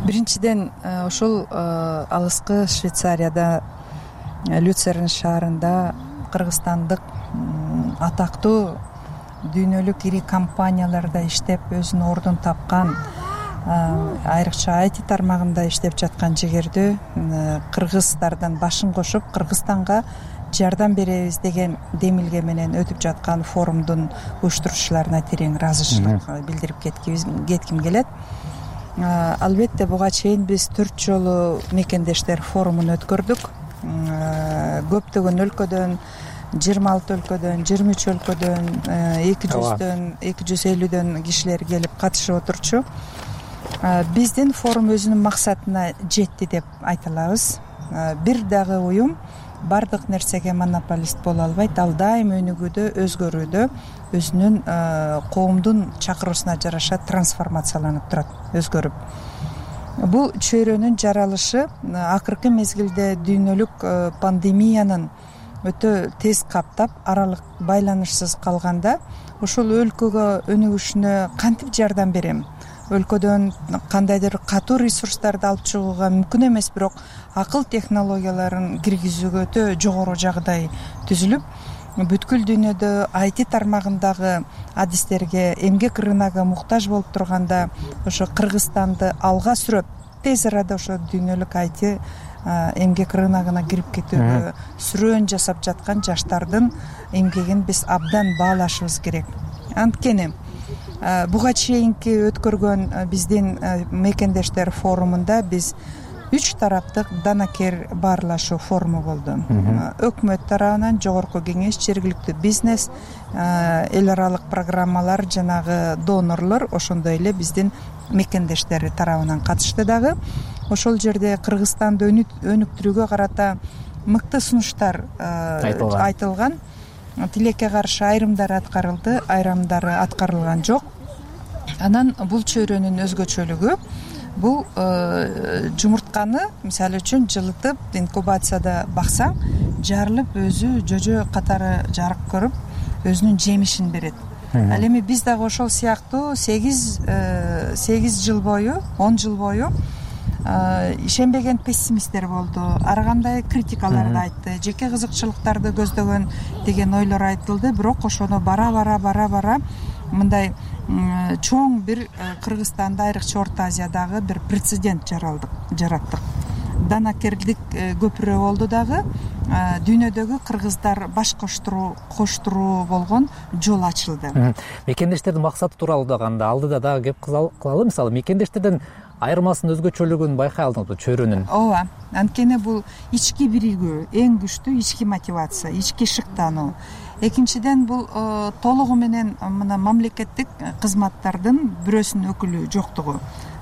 Биринчиден, ушул алыскы Швейцарияда, Люцерн шаарында кыргызстандык атактуу дүйнөлүк ири компанияларда иштеп, өзүнүн ордун тапкан, айрыкча ай ти тармагында иштеп жаткан жигердүү кыргыздардан башын кошуп, Кыргызстанга жардам беребиз деген демилге менен өтүп жаткан форумдун уюштуруучуларына терең ыраазычылык билдирип кетким келет. Албетте, буга чейин биз төрт жолу мекендештер форумун өткөрдүк. Көптөгөн өлкөдөн, жыйырма алты өлкөдөн, жыйырма үч өлкөдөн, эки жүздөн, эки жүз элүүдөн кишилер келип катышып отурчу. Биздин форум өзүнүн максатына жетти деп айта алабыз. Бир дагы уюм бардык нерсеге монополист боло албайт. Ал дайым өнүгүүдө, өзгөрүүдө, өзүнүн коомдун чакыруусуна жараша трансформацияланып турат, өзгөрүп. Бул чөйрөнүн жаралышы акыркы мезгилде дүйнөлүк пандемиянын өтө тез каптап, аралык байланышсыз калганда, ошол өлкөгө өнүгүшүнө кантип жардам берем? Өлкөдөн кандайдыр катуу ресурстарды алып чыгууга мүмкүн эмес, бирок акыл технологияларын киргизүүгө өтө жогору жагдай түзүлүп, бүткүл дүйнөдө ай ти тармагындагы адистерге, эмгек рыногу муктаж болуп турганда, ошо Кыргызстанды алга сүрөп, тез арада ошо дүйнөлүк ай ти эмгек рыногуна кирип кетүүгө сүрөөн жасап жаткан жаштардын эмгегин биз абдан баалашыбыз керек. Анткени буга чейинки өткөргөн биздин мекендештер форумунда биз үч тараптык данакер баарлашуу форуму болду. Өкмөт тарабынан, жогорку кеңеш, жергиликтүү бизнес, эл аралык программалар, жанагы донорлор, ошондой эле биздин мекендештер тарабынан катышты дагы. Ошол жерде Кыргызстанды өнүктүрүүгө карата мыкты сунуштар айтылган. Тилекке каршы айрымдары аткарылды, айрымдары аткарылган жок. Анан бул чөйрөнүн өзгөчөлүгү, бул жумуртканы мисалы үчүн жылытып, инкубацияда баксаң, жарылып өзү жожо катары жарык көрүп, өзүнүн жемишин берет. Ал эми биз дагы ошол сыяктуу сегиз жыл бою, он жыл бою ишенбеген пессимисттер болду. Ар кандай критикаларды айтты, жеке кызыкчылыктарды көздөгөн деген ойлор айтылды, бирок ошону бара-бара бара-бара мындай чоң бир Кыргызстанда, айрыкча Орто Азиядагы бир прецедент жараттык. Данакерлик көпүрө болду дагы, дүйнөдөгү кыргыздар баш коштуруу болгон жол ачылды. Мекендештердин максаты тууралуу дагы анда алдыда дагы кеп кылалы. Мисалы, мекендештердин айырмасын, өзгөчөлүгүн байкай алдыңызбы чөйрөнүн? Ооба, анткени бул ички биригүү, эң күчтүү ички мотивация, ички шыктануу. Экинчиден, бул толугу менен мына мамлекеттик кызматтардын бирөөсүнүн өкүлү жоктугу.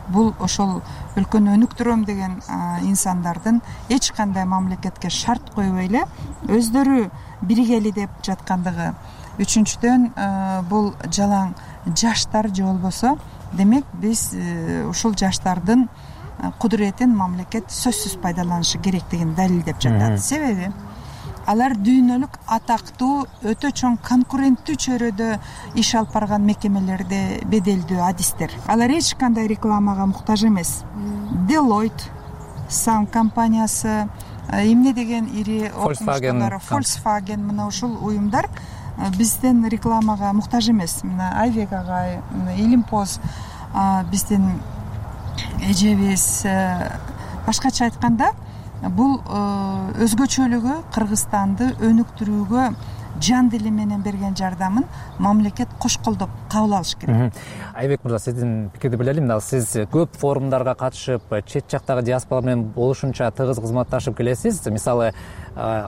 Бул ошол өлкөнү өнүктүрөм деген инсандардын эч кандай мамлекетке шарт койбой эле өздөрү биригели деп жаткандыгы. Үчүнчүдөн, бул жалаң жаштар же болбосо демек биз ушул жаштардын кудуретин мамлекет сөзсүз пайдаланышы керектигин далилдеп жатат. Себеби алар дүйнөлүк атактуу өтө чоң конкуренттүү чөйрөдө иш алып барган мекемелерде беделдүү адистер. Алар эч кандай рекламага муктаж эмес. Deloitte, Sun компаниясы, эмне деген ири окумуштуулар, Volkswagen, мына ушул уюмдар бизден рекламага муктаж эмес. Мына Айвек агай, Илимпоз биздин эжебиз. Башкача айтканда, бул өзгөчөлүгү Кыргызстанды өнүктүрүүгө жан дили менен берген жардамын мамлекет кош колдоп кабыл алыш керек. Айбек мырза, сиздин пикирди биле элем. Сиз көп форумдарга катышып, чет жактагы диаспора менен болушунча тыгыз кызматташып келесиз. Мисалы,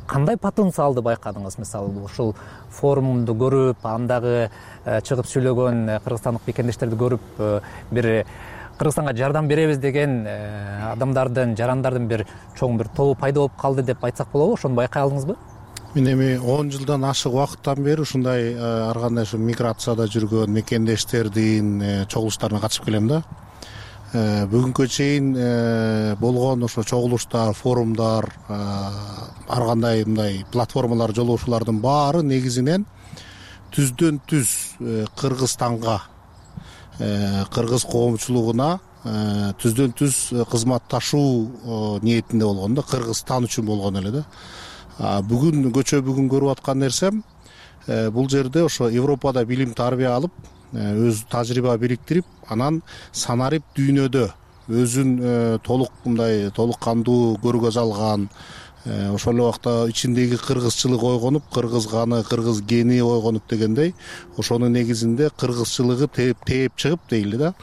кандай потенциалды байкадыңыз? Мисалы, ушул форумду көрүп, андагы чыгып сүйлөгөн кыргызстандык мекендештерди көрүп, бир Кыргызстанга жардам беребиз деген адамдардын, жарандардын бир чоң бир тобу пайда болуп калды деп айтсак болобу? Ошону байкай алдыңызбы? Мен эми он жылдан ашык убакыттан бери ушундай ар кандай ушу миграцияда жүргөн мекендештердин чогулуштарына катышып келем да. Бүгүнкү чейин болгон ошо чогулуштар, форумдар, ар кандай мындай платформалар, жолугушуулардын баары негизинен түздөн түз Кыргызстанга, кыргыз коомчулугуна түздөн түз кызматташуу ниетинде болгон да, Кыргызстан үчүн болгон эле да. Бүгүн көчө бүгүн көрүп аткан нерсем бул жерде ошо Европада билим тарбия алып, өз тажрыйба бириктирип, анан санарип дүйнөдө өзүн толук мындай толук кандуу көргөз алган, ошол эле убакта ичиндеги кыргызчылык ойгонуп, кыргыз каны, кыргыз гени ойгонуп дегендей, ошонун негизинде кыргызчылыгы тээп тээп чыгып дейли да.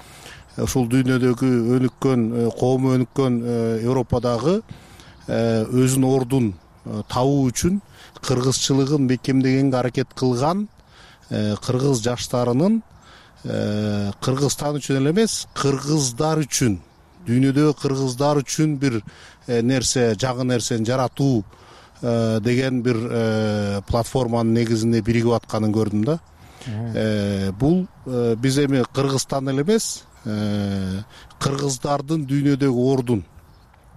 Ушул дүйнөдөгү өнүккөн, коому өнүккөн Европадагы өзүнүн ордун табуу үчүн кыргызчылыгын бекемдегенге аракет кылган кыргыз жаштарынын Кыргызстан үчүн эле эмес, кыргыздар үчүн, дүйнөдөгү кыргыздар үчүн бир нерсе, жагы нерсени жаратуу деген бир платформанын негизинде биригип атканын көрдүм да. Бул биз эми Кыргызстан эле эмес, кыргыздардын дүйнөдөгү ордун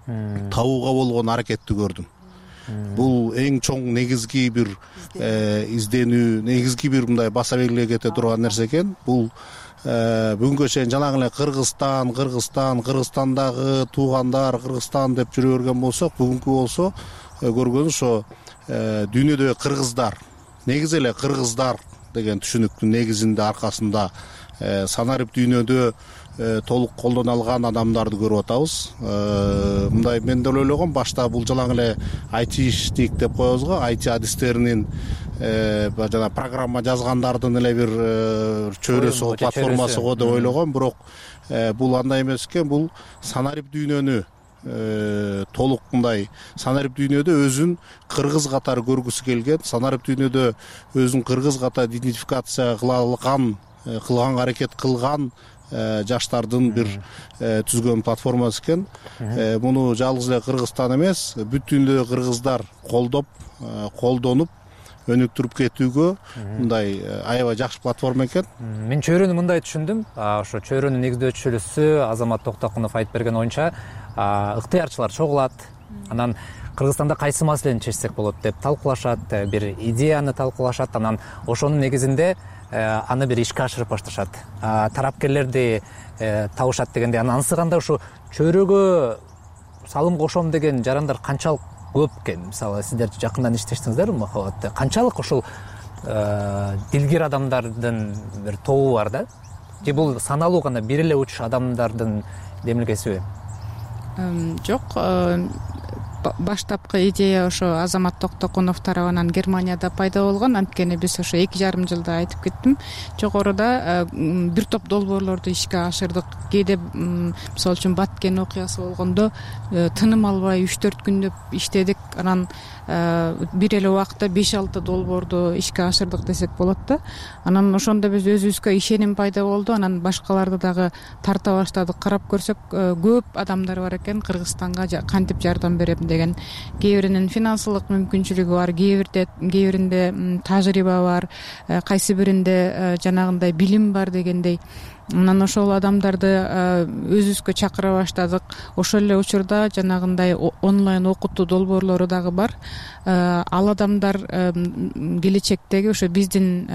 табууга болгон аракетти көрдүм. Бул эң чоң негизги бир изденүү, негизги бир мындай баса белгилей кете турган нерсе экен. Бул бүгүнкү чейин жанагы эле Кыргызстан, Кыргызстан, Кыргызстандагы туугандар, Кыргызстан деп жүрө берген болсок, бүгүнкү болсо көргөнү ошо дүйнөдөгү кыргыздар, негизи эле кыргыздар деген түшүнүктүн негизинде аркасында санарип дүйнөдө толук колдоно алган адамдарды көрүп атабыз. Мындай мен деле ойлогом, башта бул жалаң эле айтишник деп коебуз го, айти адистеринин жана программа жазгандардын эле бир чөйрөсү, платформасы го деп ойлогом, бирок бул андай эмес экен. Бул санарип дүйнөнү толук мындай санарип дүйнөдө өзүн кыргыз катары көргүсү келген, санарип дүйнөдө өзүн кыргыз катары идентификация кыла алган, кылганга аракет кылган жаштардын бир түзгөн платформасы экен. Муну жалгыз эле Кыргызстан эмес, бүт дүйнөдөгү кыргыздар колдоп, колдонуп, өнүктүрүп кетүүгө мындай аябай жакшы платформа экен. Мен чөйрөнү мындай түшүндүм. Ошо чөйрөнүн негиздөөчүсү Азамат Токтокунов айтып берген оюнча, ыктыярчылар чогулат, анан Кыргызстанда кайсы маселени чечсек болот деп талкуулашат, бир идеяны талкуулашат, анан ошонун негизинде аны бир ишке ашырып башташат. Тарапкерлерди табышат дегенде, анан ансыганда ушу чөйрөгө салым кошом деген жарандар канчалык көп экен? Мисалы, сиздер жакындан иштештиңиздерби Махабат? Канчалык ушул дилгир адамдардын бир тобу бар да? Же бул саналуу гана бир эле уч адамдардын демилгесиби? Жок, баштапкы идея ошо Азамат Токтокунов тарабынан Германияда пайда болгон. Анткени биз ошо эки жарым жылда айтып кеттим, жогоруда бир топ долбоорлорду ишке ашырдык. Кээде мисалы үчүн Баткен окуясы болгондо тыным албай үч төрт күндөп иштедик. Анан бир эле убакытта беш алты долбоорду ишке ашырдык десек болот да. Анан ошондо биз өзүбүзгө ишеним пайда болду. Анан башкаларды дагы тарта баштадык. Карап көрсөк, көп адамдар бар экен Кыргызстанга кантип жардам берем деген. Кээ биринин финансылык мүмкүнчүлүгү бар, кээ бирде кээ биринде тажрыйба бар, кайсы биринде жанагындай билим бар дегендей. анан ошол адамдарды өзүбүзгө чакыра баштадык. Ошол эле учурда жанагындай онлайн окутуу долбоорлору дагы бар. Ал адамдар келечектеги ошо биздин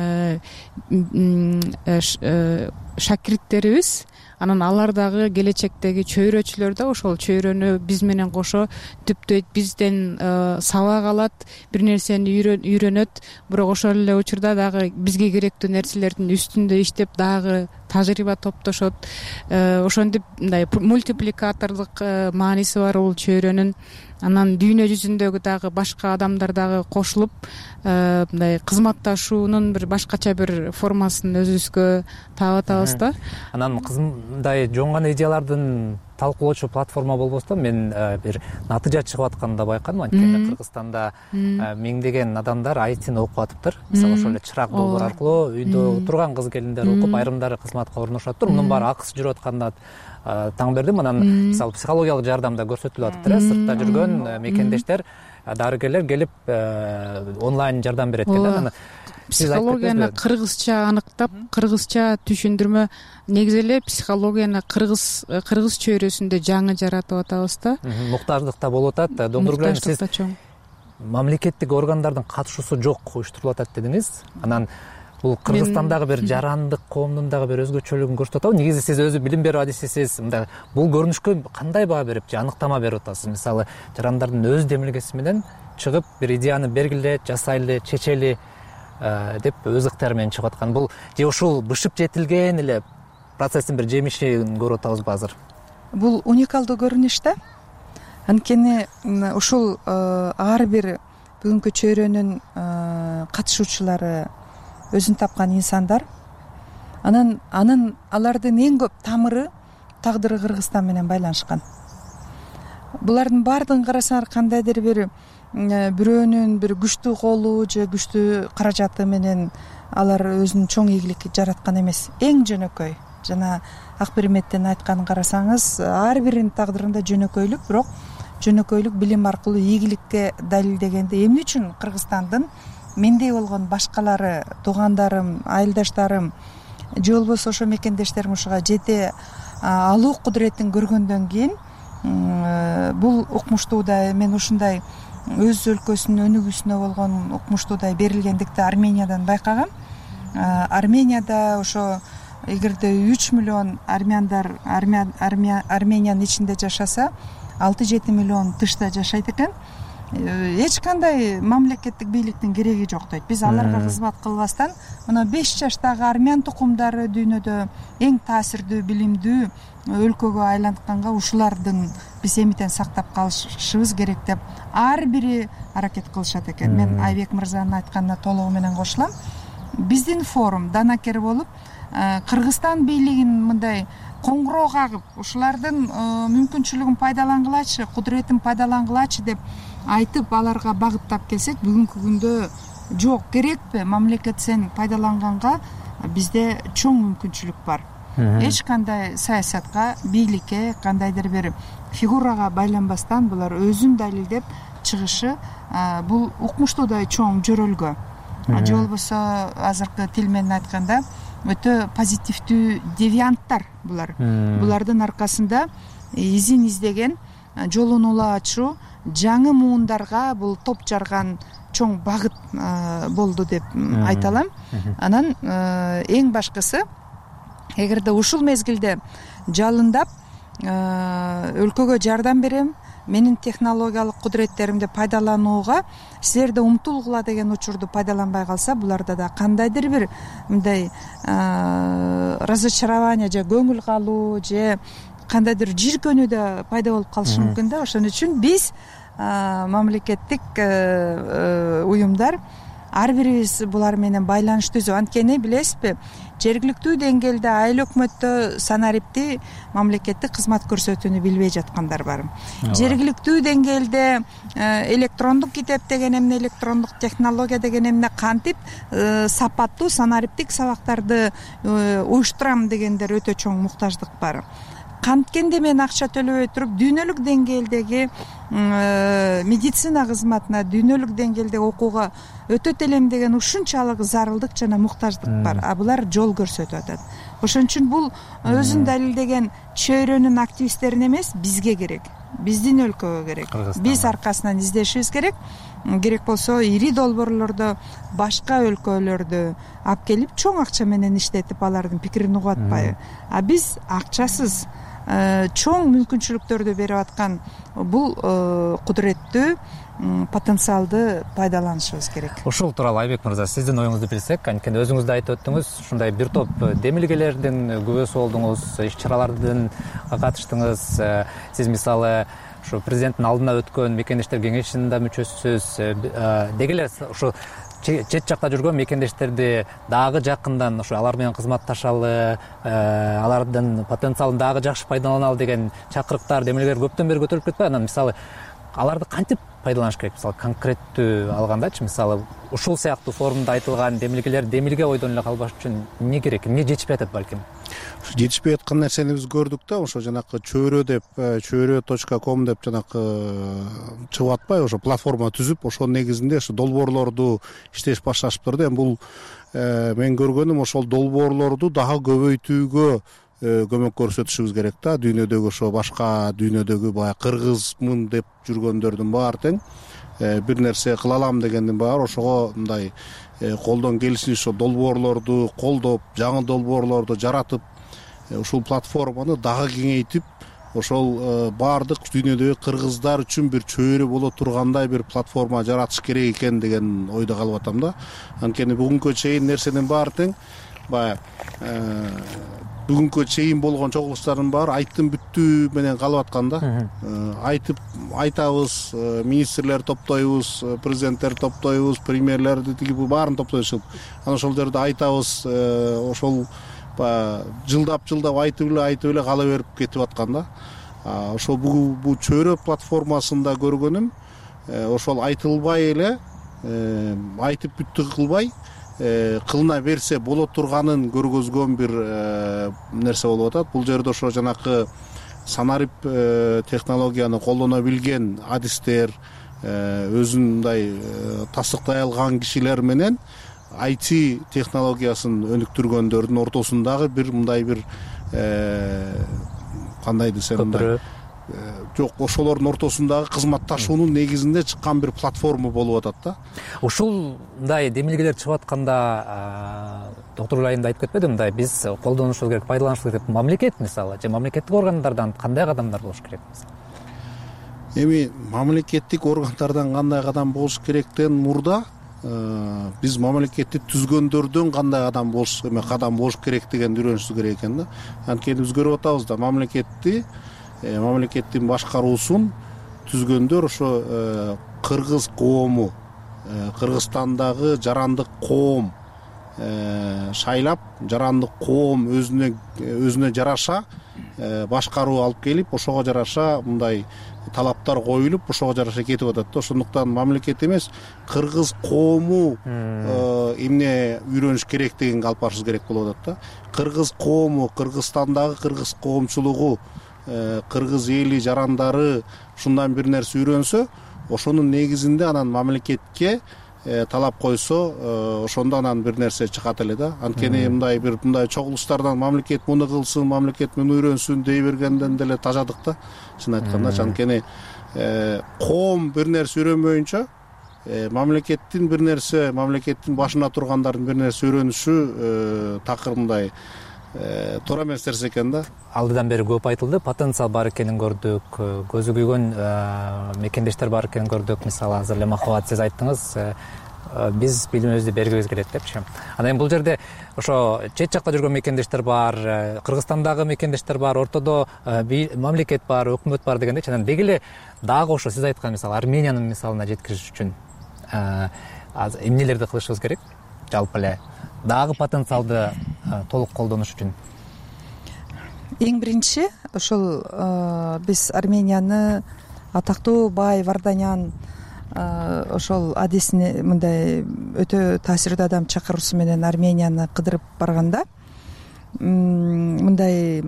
шакирттерибиз. Анан алар дагы келечектеги чөйрөчүлөр да ошол чөйрөнү биз менен кошо түптөйт, бизден сабак алат, бир нерсени үйрөнөт. Бирок ошол эле учурда дагы бизге керектүү нерселердин үстүндө иштеп дагы тажрыйба топтошот. Ошентип мындай мультипликатордук мааниси бар бул чөйрөнүн. Анан дүйнө жүзүндөгү дагы башка адамдар дагы кошулуп мындай кызматташуунун бир башкача бир формасын өзүбүзгө таап атабыз да. Анан мындай жоңгон идеялардын талкуулоочу платформа болбосо да, мен бир натыйжа чыгып атканын да байкадым. Анткени Кыргызстанда миңдеген адамдар айтини окуп атыптыр. Мисалы ошол эле чырак долбоор аркылуу үйдө отурган кыз келиндер окуп, айрымдары кызматка орношоттур. Мунун баары акысыз жүрүп атканда таң бердим. Анан мисалы психологиялык жардам да көрсөтүлүп атыптыр. Сыртта жүргөн мекендештер, дарыгерлер келип онлайн жардам берет экен. Психологияны кыргызча аныктап, кыргызча түшүндүрмө, негизи эле психологияны кыргыз кыргыз чөйрөсүндө жаңы жаратып атабыз да. Муктаждыкта болуп атат. Доктур Гүлен, сиз мамлекеттик органдардын катышуусу жок уюштурулуп атат дедиңиз. Анан бул Кыргызстандагы бир жарандык коомдун дагы бир өзгөчөлүгүн көрсөтүп атабы? Негизи сиз өзү билим берүү адисисиз. Мындай бул көрүнүшкө кандай баа берип же аныктама берип атасыз? Мисалы, жарандардын өз демилгеси менен чыгып бир идеяны бергиле, жасайлы, чечели деп өз ыктыяры менен чыгып аткан. Бул же ушул бышып жетилген эле процесстин бир жемишин көрүп атабызбы азыр? Бул уникалдуу көрүнүш да. Анткени ушул ар бир бүгүнкү чөйрөнүн катышуучулары өзүн тапкан инсандар. Анан анын алардын эң көп тамыры, тагдыры Кыргызстан менен байланышкан. Булардын баардыгын карасаңар кандайдыр бир бирөөнүн бир күчтүү колу же күчтүү каражаты менен алар өзүнүн чоң ийгиликти жараткан эмес. Эң жөнөкөй, жана Акберметтин айтканын карасаңыз, ар биринин тагдырында жөнөкөйлүк, бирок жөнөкөйлүк билим аркылуу ийгиликке далилдегенде эмне үчүн Кыргызстандын мендей болгон башкалары, туугандарым, айылдаштарым же болбосо ошо мекендештерим ушуга жете алуу кудуретин көргөндөн кийин бул укмуштуудай, мен ушундай өз өлкөсүнүн өнүгүүсүнө болгон укмуштуудай берилгендикти Армениядан байкагам. Арменияда ошо эгерде үч миллион армяндар Армениянын ичинде жашаса, алты жети миллион тышта жашайт экен. Эч кандай мамлекеттик бийликтин кереги жок дейт. Биз аларга кызмат кылбастан мына беш жаштагы армян тукумдары дүйнөдө эң таасирдүү, билимдүү өлкөгө айлантканга ушулардын биз эмитен сактап калышыбыз керек деп ар бири аракет кылышат экен. Мен Айбек мырзанын айтканына толугу менен кошулам. Биздин форум данакер болуп, Кыргызстан бийлигин мындай коңгуроо кагып, ушулардын мүмкүнчүлүгүн пайдалангылачы, кудуретин пайдалангылачы деп айтып, аларга багыттап келсек, бүгүнкү күндө жок, керекпи? Мамлекет сен пайдаланганга бизде чоң мүмкүнчүлүк бар. Эч кандай саясатка, бийликке, кандайдыр бир фигурага байланбастан булар өзүн далилдеп чыгышы бул укмуштуудай чоң жөрөлгө. Же болбосо азыркы тил менен айтканда өтө позитивдүү девианттар булар. Булардын аркасында изин издеген, жолун ула ачуу, жаңы муундарга бул топ жарган чоң багыт болду деп айта алам. Анан эң башкысы, эгерде ушул мезгилде жалындап өлкөгө жардам берем, менин технологиялык кудуреттеримди пайдаланууга силерде умтулгула деген учурду пайдаланбай калса, буларда да кандайдыр бир мындай разочарование же көңүл калуу же кандайдыр жийиркөнүү да пайда болуп калышы мүмкүн да. Ошон үчүн биз мамлекеттик уюмдар ар бирибиз булар менен байланыш түзүп, анткени билесизби, жергиликтүү деңгээлде айыл өкмөттө санарипти мамлекеттик кызмат көрсөтүүнү билбей жаткандар бар. Жергиликтүү деңгээлде электрондук китеп деген эмне, электрондук технология деген эмне, кантип сапаттуу санариптик сабактарды уюштурам дегендер өтө чоң муктаждык бар. Канткенде мен акча төлөбөй туруп дүйнөлүк деңгээлдеги медицина кызматына, дүйнөлүк деңгээлдеги окууга өтөт элем деген ушунчалык зарылдык жана муктаждык бар. А булар жол көрсөтүп атат. ошон үчүн бул өзүн далилдеген чөйрөнүн активисттерине эмес, бизге керек, биздин өлкөгө керек. Биз аркасынан издешибиз керек. Керек болсо ири долбоорлордо башка өлкөлөрдө алып келип чоң акча менен иштетип алардын пикирин угуп атпайбы. А биз акчасыз чоң мүмкүнчүлүктөрдү берип аткан бул кудуреттүү потенциалды пайдаланышыбыз керек. Ушул тууралуу Айбек мырза, сиздин оюңузду билсек, анткени өзүңүз да айтып өттүңүз, ушундай бир топ демилгелердин күбөсү болдуңуз, иш-чаралардын катыштыңыз. Сиз мисалы ушу президенттин алдына өткөн мекендештер кеңешинин да мүчөсүсүз. Деги эле ушу чет жакта жүргөн мекендештерди дагы жакындан ушу алар менен кызматташалы, алардын потенциалын дагы жакшы пайдаланалы деген чакырыктар, демилгелер көптөн бери көтөрүлүп кетпейби? Анан мисалы аларды кантип пайдаланыш керек? Мисалы конкреттүү алгандачы, мисалы ушул сыяктуу форумда айтылган демилгелер демилге ойдон эле калбаш үчүн эмне керек, эмне жетишпей атат балким? Жетишпей аткан нерсени биз көрдүк да, ошо жанакы чөйрө деп, чөйрө точка ком деп жанакы чыгып атпайбы, ошо платформа түзүп, ошонун негизинде ошо долбоорлорду иштеш башташыптыр да. Эми бул мен көргөнүм ошол долбоорлорду дагы көбөйтүүгө көмөк көрсөтүшүбүз керек да. Дүйнөдөгү ошо башка дүйнөдөгү баягы кыргызмын деп жүргөндөрдүн баары тең бир нерсе кыла алам дегендин баары ошого мындай колдон келишинче ошо долбоорлорду колдоп, жаңы долбоорлорду жаратып, ушул платформаны дагы кеңейтип, ошол баардык дүйнөдөгү кыргыздар үчүн бир чөйрө боло тургандай бир платформа жаратыш керек экен деген ойдо калып атам да. Анткени бүгүнкү чейин нерсенин баары тең баягы бүгүнкү чейин болгон чогулуштардын баары айттым бүттүү менен калып аткан да. Айтып айтабыз, министрлер топтойбуз, президенттер топтойбуз, премьерлерди тиги бу баарын топтойбуз. Анан ошол жерде айтабыз, ошол баягы жылдап-жылдап айтып эле айтып эле кала берип кетип аткан да. Ошол бул чөйрө платформасында көргөнүм, ошол айтылбай эле, айтып бүттү кылбай, кылына берсе боло турганын көргөзгөн бир нерсе болуп атат. Бул жерде ошо жанакы санарип технологияны колдоно билген адистер, өзүн мындай тастыктай алган кишилер менен ай ти технологиясын өнүктүргөндөрдүн ортосундагы бир мындай бир кандай десем мындай жок, ошолордун ортосундагы кызматташуунун негизинде чыккан бир платформа болуп атат да. Ушундай демилгелер чыгып атканда доктор Айым да айтып кетпеди, мындай биз колдонушубуз керек, пайдаланышыбыз керек. Мамлекет мисалы же мамлекеттик органдардан кандай кадамдар болуш керек? Эми мамлекеттик органдардан кандай кадам болуш керектен мурда биз мамлекетти түзгөндөрдөн кандай кадам болуш эме кадам болуш керектигин үйрөнүшүбүз керек экен да. Анткени биз көрүп атабыз да, мамлекетти мамлекеттин башкаруусун түзгөндөр ошо кыргыз коому, Кыргызстандагы жарандык коом шайлап, жарандык коом өзүнө өзүнө жараша башкаруу алып келип, ошого жараша мындай талаптар коюлуп, ошого жараша кетип атат да. Ошондуктан мамлекет эмес, кыргыз коому эмне үйрөнүш керектигин алып барышыбыз керек болуп атат да. Кыргыз коому, Кыргызстандагы кыргыз коомчулугу, кыргыз эли, жарандары ушундан бир нерсе үйрөнсө, ошонун негизинде анан мамлекетке талап койсо, ошондо анан бир нерсе чыгат эле да. Анткени мындай бир мындай чогулуштардан мамлекет муну кылсын, мамлекет муну үйрөнсүн дей бергенден деле тажадык да, чын айтканда. Анткени коом бир нерсе үйрөнбөйүнчө мамлекеттин бир нерсе, мамлекеттин башына тургандардын бир нерсе үйрөнүшү такыр мындай туура эмес нерсе экен да. Алдыдан бери көп айтылды, потенциал бар экенин көрдүк, көзү күйгөн мекендештер бар экенин көрдүк. Мисалы азыр эле Махабат сиз айттыңыз, биз билимибизди бергибиз келет депчи. Анан эми бул жерде ошо чет жакта жүргөн мекендештер бар, Кыргызстандагы мекендештер бар, ортодо мамлекет бар, өкмөт бар дегендечи. Анан деги эле дагы ошо сиз айткан мисалы Армениянын мисалына жеткириш үчүн эмнелерди кылышыбыз керек? Жалпы эле дагы потенциалды толук колдонуш үчүн. Эң биринчи ошол биз Арменияны атактуу Бай Варданян ошол адисини мындай өтө таасирдүү адам чакыруусу менен Арменияны кыдырып барганда мындай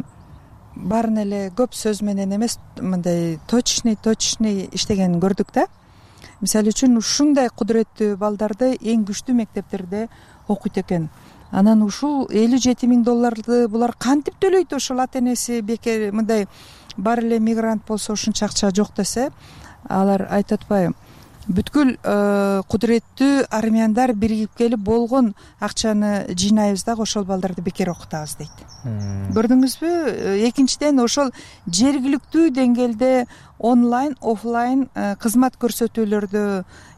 баарын эле көп сөз менен эмес, мындай точный точный иштегенин көрдүк да. Мисалы үчүн ушундай кудуреттүү балдарды эң күчтүү мектептерде окуйт экен. анан ушул элүү жети миң долларды булар кантип төлөйт? Ошол ата энеси бекер мындай бар эле мигрант болсо ушунча акча жок десе, алар айтып атпайбы, бүткүл кудуреттүү армяндар биригип келип болгон акчаны жыйнайбыз дагы ошол балдарды бекер окутабыз дейт. Көрдүңүзбү? Экинчиден, ошол жергиликтүү деңгээлде онлайн, офлайн кызмат көрсөтүүлөрдү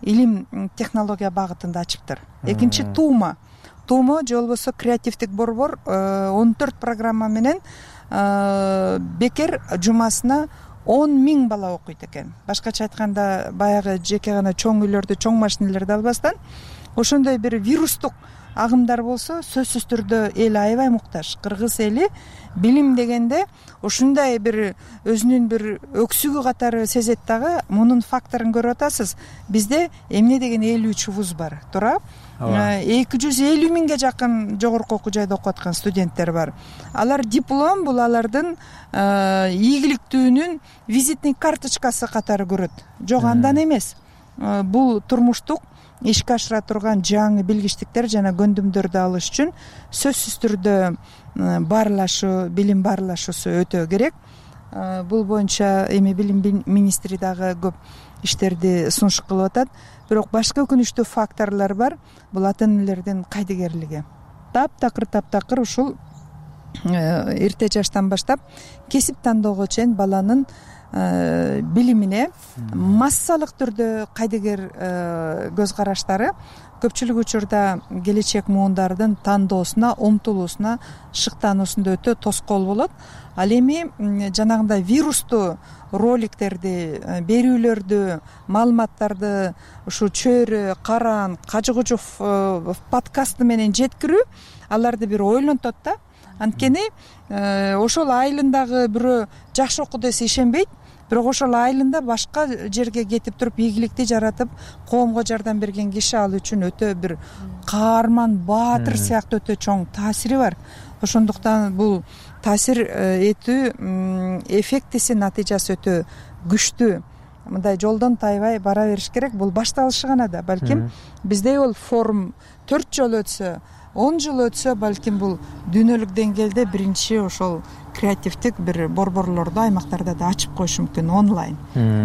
илим технология багытында ачыптыр. Экинчи Тумо. Тумо же болбосо креативдик борбор он төрт программа менен бекер жумасына он миң бала окуйт экен. Башкача айтканда, баягы жеке гана чоң үйлөрдү, чоң машинелерди албастан, ошондой бир вирустук агымдар болсо, сөзсүз түрдө эл аябай муктаж. Кыргыз эли билим дегенде ушундай бир өзүнүн бир өксүгү катары сезет дагы. Мунун факторун көрүп атасыз. Бизде эмне деген элүү үч вуз бар, туурабы? эки жүз элүү миңге жакын жогорку окуу жайда окуп аткан студенттер бар. Алар диплом бул алардын ийгиликтүүнүн визитный карточкасы катары көрөт. Жок, андан эмес. Бул турмуштук ишке ашыра турган жаңы билгичтиктер жана көндүмдөрдү алыш үчүн сөзсүз түрдө баарлашуу, билим баарлашуусу өтө керек. Бул боюнча эми билим министри дагы көп иштерди сунуш кылып атат. Бирок башка өкүнүчтүү факторлор бар. Бул ата энелердин кайдыгерлиги. Таптакыр таптакыр ушул эрте жаштан баштап кесип тандоого чейин баланын билимине массалык түрдө кайдыгер көз караштары көпчүлүк учурда келечек муундардын тандоосуна, умтулуусуна, шыктануусунда өтө тоскоол болот. Ал эми жанагындай вирустуу роликтерди, берүүлөрдү, маалыматтарды ушу Чөйрө, Каран, Кажыгужов подкасты менен жеткирүү аларды бир ойлонтот да. Анткени ошол айылындагы бирөө жакшы окуду десе ишенбейт. Бирок ошол айылында башка жерге кетип туруп ийгиликти жаратып, коомго жардам берген киши ал үчүн өтө бир каарман, баатыр сыяктуу өтө чоң таасири бар. Ошондуктан бул таасир этүү эффектиси, натыйжасы өтө күчтүү. Мындай жолдон тайбай бара бериш керек. Бул башталышы гана да. Балким бизде бул форум төрт жол өтсө, он жыл өтсө, балким бул дүйнөлүк деңгээлде биринчи ошол креативдик бир борборлорду аймактарда да ачып коюш мүмкүн онлайн.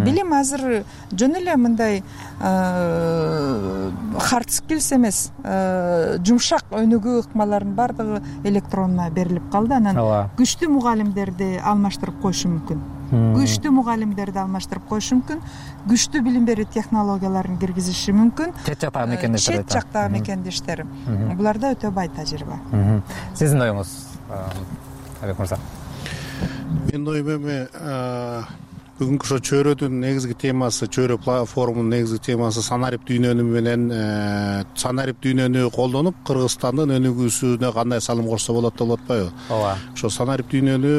Билим азыр жөн эле мындай hard skills эмес, жумшак өнүгүү ыкмаларынын бардыгы электронно берилип калды. Анан күчтүү мугалимдерди алмаштырып коюшу мүмкүн. Күчтүү мугалимдерди алмаштырып коюшу мүмкүн. Күчтүү билим берүү технологияларын киргизиши мүмкүн. Чет жактагы мекендештер. Чет жактагы мекендештер. Буларда өтө бай тажрыйба. Сиздин оюңуз, Абек мырза? Менин оюм эми бүгүнкү ошо Чөйрөдүн негизги темасы, Чөйрө форумунун негизги темасы санарип дүйнөнү менен санарип дүйнөнү колдонуп Кыргызстандын өнүгүүсүнө кандай салым кошсо болот деп атпайбы? Ооба. Ошо санарип дүйнөнү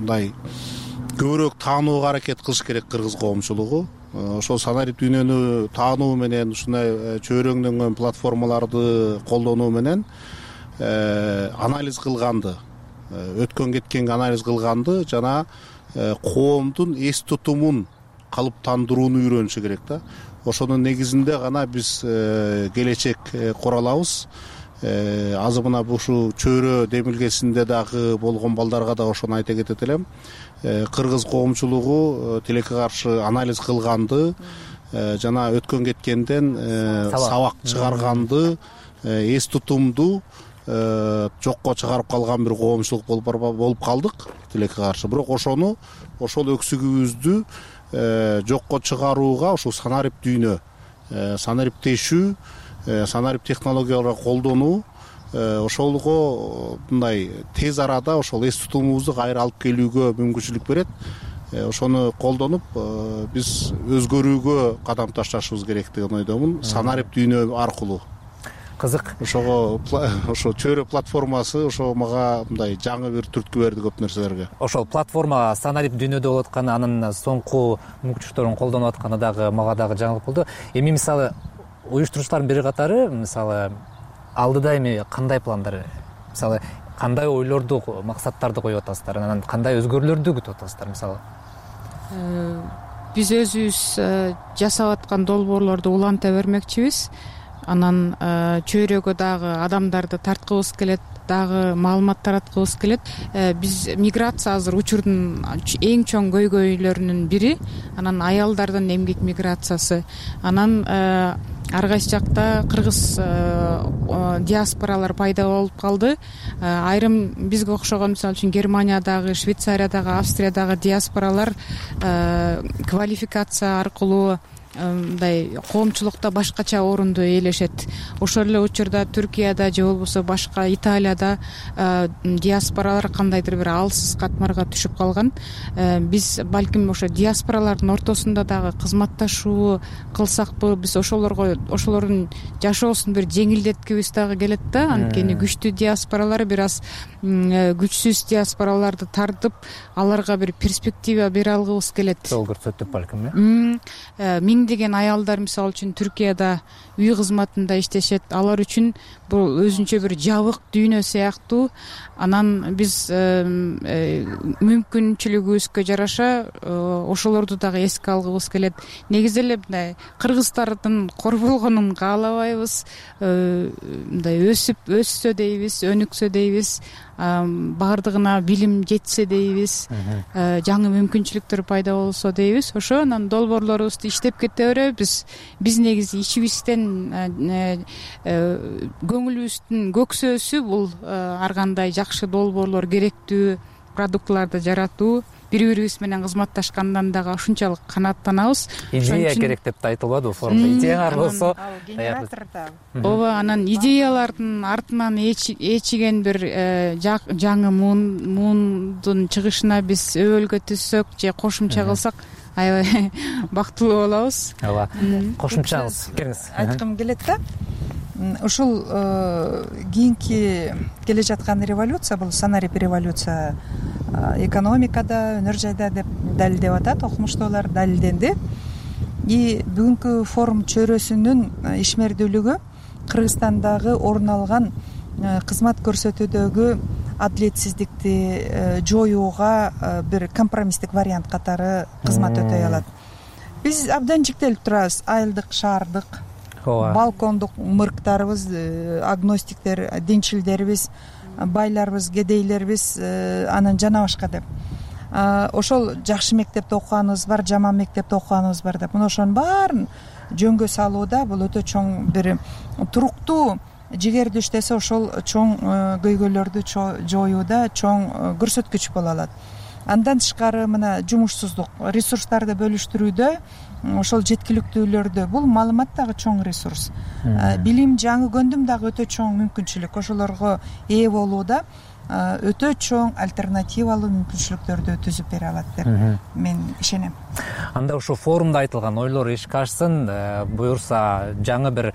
мындай көбүрөөк таанууга аракет кылыш керек кыргыз коомчулугу. Ошол санарип дүйнөнү таануу менен ушундай чөйрөңдөнгөн платформаларды колдонуу менен анализ кылганды, өткөн кеткенге анализ кылганды жана коомдун эс тутумун калыптандырууну үйрөнүшү керек да. Ошонун негизинде гана биз келечек кура алабыз. Азыр мына ушу Чөйрө демилгесинде дагы болгон балдарга да ошону айта кетет элем. Кыргыз коомчулугу тилекке каршы анализ кылганды жана өткөн кеткенден сабак чыгарганды, эс тутумду жокко чыгарып калган бир коомчулук болуп калдык тилекке каршы. Бирок ошону ошол өксүгүбүздү жокко чыгарууга ушул санарип дүйнө, санариптешүү, санарип технологияларды колдонуу ошолго мындай тез арада ошол эс тутумубузду кайра алып келүүгө мүмкүнчүлүк берет. Ошону колдонуп биз өзгөрүүгө кадам ташташыбыз керек деген ойдомун. Санарип дүйнө аркылуу. Кызык. Ошого ошо Чөйрө платформасы ошо мага мындай жаңы бир түрткү берди көп нерселерге. Ошол платформа санарип дүйнөдө болуп атканы, анын соңку мүмкүнчүлүктөрүн колдонуп атканы дагы мага дагы жаңылык болду. Эми мисалы уюштуруучулардын бир катары мисалы алдыда эми кандай пландар, мисалы кандай ойлорду, максаттарды коюп атасыздар, анан кандай өзгөрүүлөрдү күтүп атасыздар мисалы? Биз өзүбүз жасап аткан долбоорлорду уланта бермекчибиз. анан чөйрөгө дагы адамдарды тарткыбыз келет, дагы маалымат тараткыбыз келет. Биз миграция азыр учурдун эң чоң көйгөйлөрүнүн бири, анан аялдардын эмгек миграциясы. Анан ар кайсы жакта кыргыз диаспоралар пайда болуп калды. Айрым бизге окшогон, мисалы үчүн Германиядагы, Швейцариядагы, Австриядагы диаспоралар квалификация аркылуу мындай коомчулукта башкача орунду ээлешет. Ошол эле учурда Түркияда же болбосо башка Италияда диаспоралар кандайдыр бир алсыз катмарга түшүп калган. Биз балким ошо диаспоралардын ортосунда дагы кызматташуу кылсакпы, биз ошолорго ошолордун жашоосун бир жеңилдеткибиз дагы келет да. Анткени күчтүү диаспоралар бир аз күчсүз диаспораларды тартып, аларга бир перспектива бере алгыбыз келет. Жол көрсөтүп балким, э миңдеген аялдар мисалы үчүн Түркияда үй кызматында иштешет. Алар үчүн бул өзүнчө бир жабык дүйнө сыяктуу. Анан биз мүмкүнчүлүгүбүзгө жараша ошолорду дагы эске алгыбыз келет. Негизи эле мындай кыргыздардын корголгонун каалабайбыз. Мындай өсүп өссө дейбиз, өнүксө дейбиз, баардыгына билим жетсе дейбиз, жаңы мүмкүнчүлүктөр пайда болсо дейбиз. Ошо анан долбоорлорубузду иштеп кете беребиз. Биз негизи ичибизден көңүлүбүздүн көксөөсү бул ар кандай жакшы долбоорлор, керектүү продуктларды жаратуу. Бири-бирибиз менен кызматташкандан дагы ушунчалык канааттанабыз. Идея керек деп да айтылбады бул форумда. Идеяңар болсо, ооба, анан идеялардын артынан ээчиген бир жаңы муундун чыгышына биз өбөлгө түзсөк же кошумча кылсак, аябай бактылуу болобуз. Ооба. Кошумчаңыз келиңиз. Айткым келет да. Ушул кийинки келе жаткан революция, бул санарип революция экономикада, өнөр жайда деп далилдеп атат, окумуштуулар далилденди. И бүгүнкү форум чөйрөсүнүн ишмердүүлүгү Кыргызстандагы орун алган кызмат көрсөтүүдөгү адилетсиздикти жоюуга бир компромисстик вариант катары кызмат өтөй алат. Биз абдан жиктелип турабыз. Айылдык, шаардык, балкондук мырктарыбыз, агностиктер, динчилдерибиз, байларыбыз, кедейлерибиз, анан жана башка деп. Ошол жакшы мектепте окуганыбыз бар, жаман мектепте окуганыбыз бар деп. Мына ошонун баарын жөнгө салууда бул өтө чоң бир туруктуу жигерди иштесе, ошол чоң көйгөйлөрдү жоюуда чоң көрсөткүч боло алат. Андан тышкары мына жумушсуздук, ресурстарды бөлүштүрүүдө, ошол жеткиликтүүлөрдө бул маалымат дагы чоң ресурс. Билим, жаңы көндүм дагы өтө чоң мүмкүнчүлүк. Ошолорго ээ болууда өтө чоң альтернативалуу мүмкүнчүлүктөрдү түзүп бере алат деп мен ишенем. Анда ушул форумда айтылган ойлор ишке ашсын, буюрса жаңы бир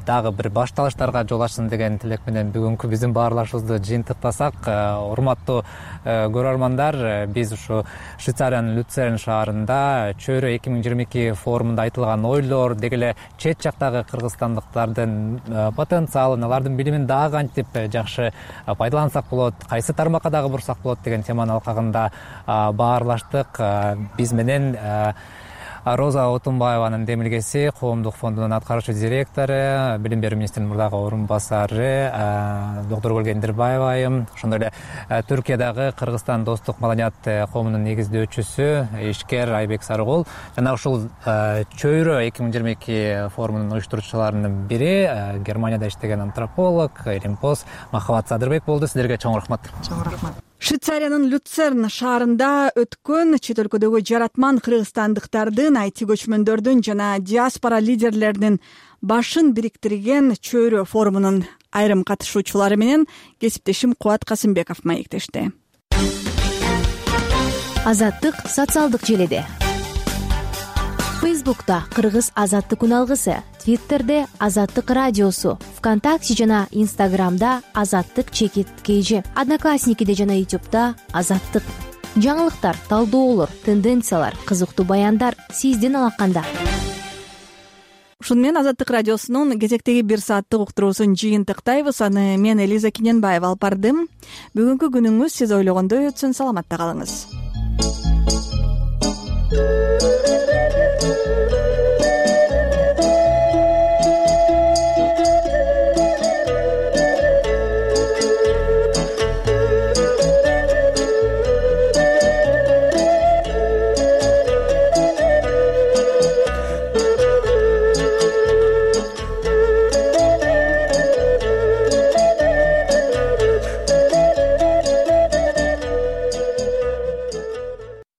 дагы бир башталыштарга жол ачсын деген тилек менен бүгүнкү биздин баарлашуубузду жыйынтыктасак, урматтуу көрөрмандар, биз ушу Швейцариянын Люцерн шаарында чөйрө эки миң жыйырма эки форумунда айтылган ойлор, деги эле чет жактагы кыргызстандыктардын потенциалын, алардын билимин дагы кантип жакшы пайдалансак болот, кайсы тармакка дагы бурсак болот деген теманын алкагында баарлаштык. Биз менен Роза Отунбаеванын демилгеси, Коомдук фондунун аткаруучу директору, Билим берүү министринин мурдагы орун басары доктор Гөлгендирбаева айым, ошондой эле Түркиядагы Кыргызстан достук маданият коомунун негиздөөчүсү, ишкер Айбек Сарыгул жана ушул чөйрө эки миң жыйырма эки форумунун уюштуруучуларынын бири Германияда иштеген антрополог Илимпоз Махабат Садырбек болду. Сиздерге чоң рахмат. Чоң рахмат. Швейцариянын Люцерн шаарында өткөн чет өлкөдөгү жаратман кыргызстандыктардын, айти көчмөндөрдүн жана диаспора лидерлеринин башын бириктирген чөйрө форумунун айрым катышуучулары менен кесиптешим Кубат Касымбеков маектешти. Азаттык социалдык желиде. Фейсбукта Кыргыз азаттык үн алгысы, Твиттерде Азаттык радиосу, ВКонтакте жана Инстаграмда Азаттык чекит кейжи, Одноклассникиде жана Ютубда Азаттык. Жаңылыктар, талдоолор, тенденциялар, кызыктуу баяндар сиздин алаканда. Ушуну менен Азаттык радиосунун кезектеги бир сааттык уктуруусун жыйынтыктайбыз. Аны мен Элиза Киненбаева алып бардым. Бүгүнкү күнүңүз сиз ойлогондой өтсүн. Саламатта калыңыз.